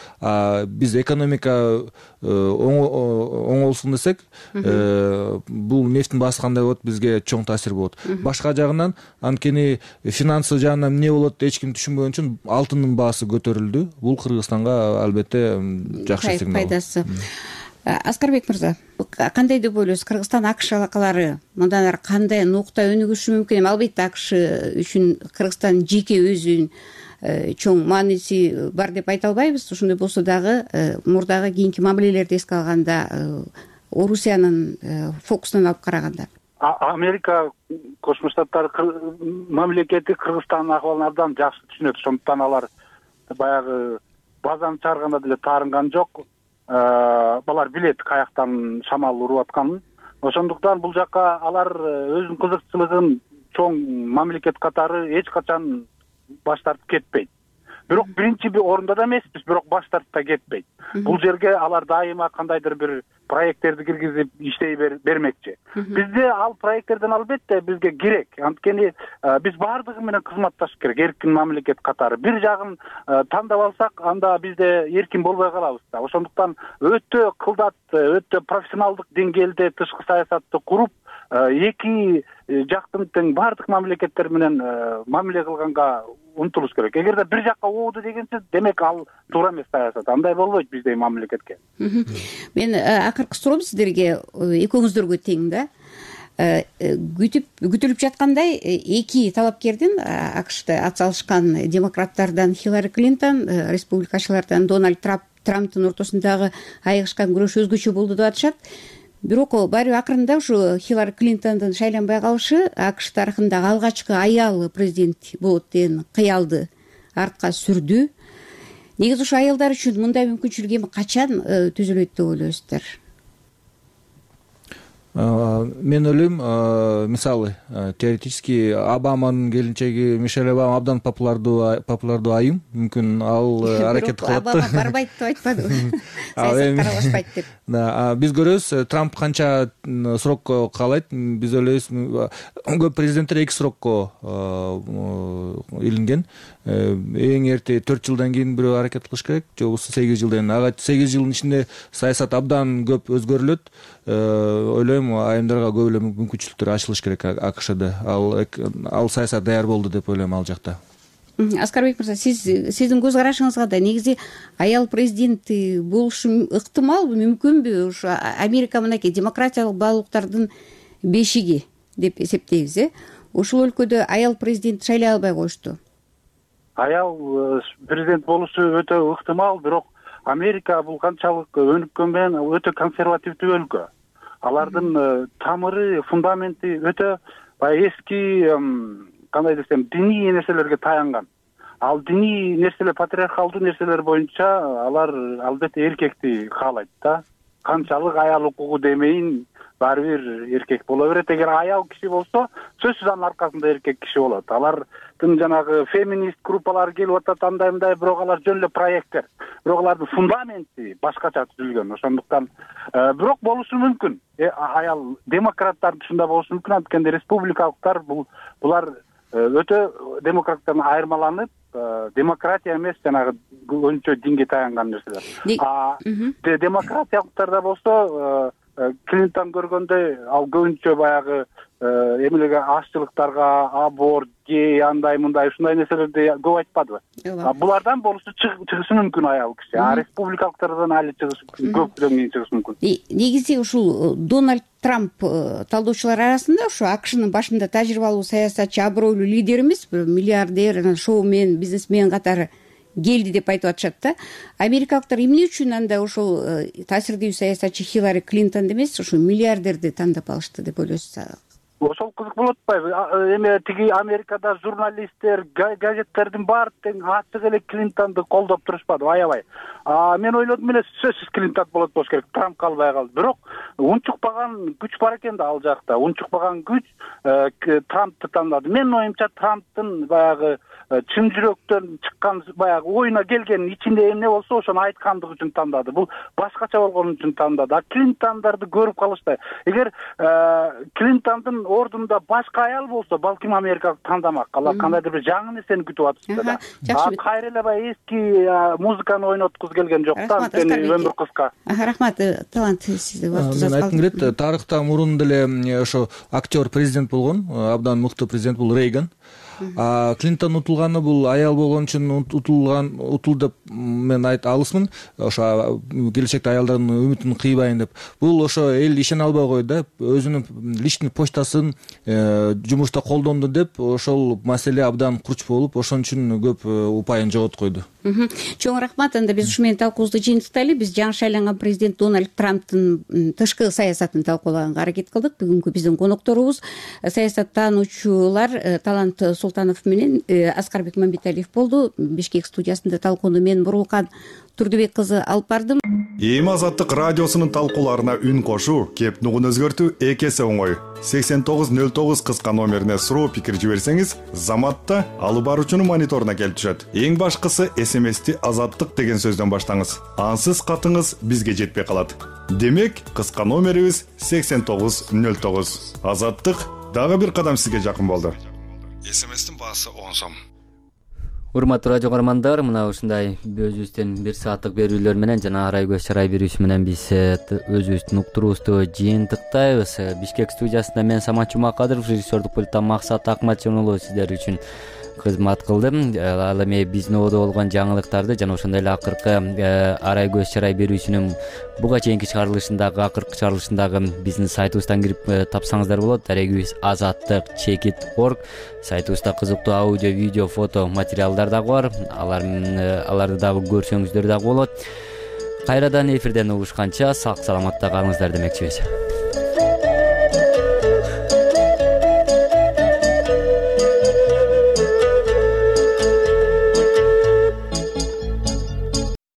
[SPEAKER 22] Биз экономика оңолсун десек, бул нефттин баасы кандай болот, бизге чоң таасир болот. Башка жагынан, анткени финансы жагынан эмне болот эч ким түшүнбөгөн үчүн алтындын баасы көтөрүлдү. Бул Кыргызстанга албетте жакшы сигнал.
[SPEAKER 5] Пайдасы. Аскарбек мырза, кандай деп ойлойсуз? Кыргызстан АКШ алакалары мындан ары кандай нукта өнүгүшү мүмкүн? Албетте АКШ үчүн Кыргызстан жеке өзүнүн чоң мааниси бар деп айта албайбыз. Ошондой болсо дагы мурдагы кийинки мамилелерди эске алганда орусиянын фокусунан алып караганда?
[SPEAKER 21] Америка Кошмо Штаттары мамлекети Кыргызстандын акыбалын абдан жакшы түшүнөт. Ошондуктан алар баягы базаны чыгарганда деле таарынган жок. Алар билет каяктан шамал уруп атканын. Ошондуктан бул жакка алар өзүнүн кызыкчылыгын чоң мамлекет катары эч качан баш тартып кетпейт. Бирок биринчи орунда да эмеспиз, бирок баш тартып да кетпейт. Бул жерге алар дайыма кандайдыр бир проекттерди киргизип иштей бермекчи. Бизде ал проекттерден албетте бизге керек. Анткени биз баардыгы менен кызматташыш керек, эркин мамлекет катары. Бир жагын тандап алсак, анда бизде эркин болбой калабыз да. Ошондуктан өтө кылдат, өтө профессионалдык деңгээлде тышкы саясатты куруп, эки жактын тең баардык мамлекеттер менен мамиле кылганга умтулуш керек. Эгерде бир жакка ооду дегенсиз, демек ал туура эмес саясат. Андай болбойт биздей мамлекетке.
[SPEAKER 5] Мен акыркы суроом сиздерге, экөөңүздөргө тең да. Күтүп күтүлүп жаткандай эки талапкердин АКШда атсалышкан демократтардан Хиллари Клинтон, республикачылардан Дональд Трамптын ортосундагы айыгышкан күрөш өзгөчө болду деп атышат. Бирок баары акырында ушу Хиллари Клинтондун шайланбай калышы АКШ тарыхындагы алгачкы аял президент болот деген кыялды артка сүрдү. Негизи ушу аялдар үчүн мындай мүмкүнчүлүк эми качан түзүлөт деп ойлойсуздар?
[SPEAKER 22] Мен ойлойм, мисалы теоретически Обаманын келинчеги Мишель Обама абдан популярдуу популярдуу айым, мүмкүн ал аракет кылат.
[SPEAKER 5] Обама барбайт деп айтпадыбы? Саясатка аралашпайт деп.
[SPEAKER 22] Да, биз көрөбүз, Трамп канча срокко каалайт, биз ойлойбуз, көп президенттер эки срокко илинген. Эң эрте төрт жылдан кийин бирөө аракет кылыш керек, же болбосо сегиз жылдан. Ага сегиз жылдын ичинде саясат абдан көп өзгөрүлөт. Ойлойм, айымдарга көп эле мүмкүнчүлүктөр ачылыш керек АКШда. Ал ал саясат даяр болду деп ойлойм ал жакта.
[SPEAKER 5] Аскарбек мырза, сиз сиздин көз карашыңызга да негизи аял президенти болушу ыктымалбы, мүмкүнбү? Ушу Америка мынакей демократиялык баалуулуктардын бешиги деп эсептейбиз, э? Ушул өлкөдө аял президент шайлай албай коюшту.
[SPEAKER 21] Аял президент болушу өтө ыктымал, бирок Америка бул канчалык өнүккөн менен өтө консервативдүү өлкө. Алардын тамыры, фундаменти өтө баягы эски, кандай десем, диний нерселерге таянган. Ал диний нерселер, патриархалдуу нерселер боюнча алар албетте эркекти каалайт да. Канчалык аял укугу демейин, баары бир эркек боло берет. Эгер аял киши болсо, сөзсүз анын аркасында эркек киши болот. Алардын жанагы феминист группалары келип атат, андай мындай, бирок алар жөн эле проекттер. Бирок алардын фундаменти башкача түзүлгөн. Ошондуктан бирок болушу мүмкүн. Аял демократтардын ушундай болушу мүмкүн. Анткени республикалыктар бул булар өтө демократтардан айырмаланып, демократия эмес, жанагы көбүнчө динге таянган нерселер. А демократиялыктарда болсо, Клинтон көргөндөй, ал көбүнчө баягы эмелеге ашчылыктарга, аборт, гей, андай мындай ушундай нерселерди көп айтпадыбы? Булардан болушу чыгышы мүмкүн аял киши. А республикалыктардан али чыгышы көптөн кийин чыгышы мүмкүн.
[SPEAKER 5] Негизи ушул Дональд Трамп талдоочулар арасында ушу АКШнын башында тажрыйбалуу саясатчы, абройлуу лидер эмес, бир миллиардер, анан шоумен, бизнесмен катары келди деп айтып атышат да. Америкалыктар эмне үчүн анда ошол таасирдүү саясатчы Хиллари Клинтон эмес, ушул миллиардерди тандап алышты деп ойлойсуздар?
[SPEAKER 21] Ошол кызык болуп атпайбы? Эме тиги Америкада журналисттер, газеттердин баары тең ачык эле Клинтонду колдоп турушпадыбы, аябай. Мен ойлодум эле сөзсүз Клинтон болот болуш керек, Трамп калбай калды. Бирок унчукпаган күч бар экен да ал жакта. Унчукпаган күч Трампты тандады. Менин оюмча Трамптын баягы чын жүрөктөн чыккан баягы оюна келгенин ичинде эмне болсо ошону айткандыгы үчүн тандады. Бул башкача болгон үчүн тандады. А Клинтондорду көрүп калыштай. Эгер Клинтондун ордунда башка аял болсо, балким Америка тандамак. Алар кандайдыр бир жаңы нерсени күтүп атышты да. А кайра эле баягы эски музыканы ойноткузу келген жок да. Анткени өмүр кыска.
[SPEAKER 5] Рахмат, талант сизде бар.
[SPEAKER 22] Мен айткым келет, тарыхта мурун деле ошо актер президент болгон, абдан мыкты президент бул Рейган. Клинтон утулганы бул аял болгон үчүн утулган утулду деп мен айта алысмын. Ошо келечекте аялдардын үмүтүн кыйбайын деп. Бул ошо эл ишене албай койду да, өзүнүн личный почтасын жумушта колдонду деп ошол маселе абдан курч болуп, ошон үчүн көп упайын жоготуп койду.
[SPEAKER 5] Чоң рахмат. Анда биз ушу менен талкуубузду жыйынтыктайлы. Биз жаңы шайланган президент Дональд Трамптын тышкы саясатын талкуулаганга аракет кылдык. Бүгүнкү биздин конокторубуз саясаттануучулар Талант Султанов менен Аскарбек Мамбеталиев болду. Бишкек студиясында талкууну мен Бурлукан Турдубек кызы алып бардым.
[SPEAKER 9] Эми Азаттык радиосунун талкууларына үн кошуу, кеп нугун өзгөртүү эки эсе оңой. сексен тогуз нөл тогуз кыска номерине суроо пикир жиберсеңиз, заматта алып баруучунун мониторуна келип түшөт. Эң башкысы эс эм эсти Азаттык деген сөздөн баштаңыз. Ансыз катыңыз бизге жетпей калат. Демек, кыска номерибиз сексен тогуз нөл тогуз. Азаттык дагы бир кадам сизге жакын болду. эс эм эстин баасы он сом.
[SPEAKER 1] Урматтуу радио көрөрмандар, мына ушундай өзүбүздүн бир сааттык берүүлөр менен жана арай көз чарай берүүсү менен биз өзүбүздүн уктуруубузду жыйынтыктайбыз. Бишкек студиясында мен Самат Жумакадыров, режиссердук пульттан Максат Акматжонолу сиздер үчүн кызмат кылдым. Ал эми биздин ободо болгон жаңылыктарды жана ошондой эле акыркы арай көз чарай берүүсүнүн буга чейинки чыгарылышындагы акыркы чыгарылышындагы биздин сайтыбыздан кирип тапсаңыздар болот. Дарегибиз азаттык чекит точка орг. Сайтыбызда кызыктуу аудио, видео, фото материалдар дагы бар. Алар аларды дагы көрсөңүздөр дагы болот. Кайрадан эфирден угушканча сак саламатта калыңыздар демекчибиз.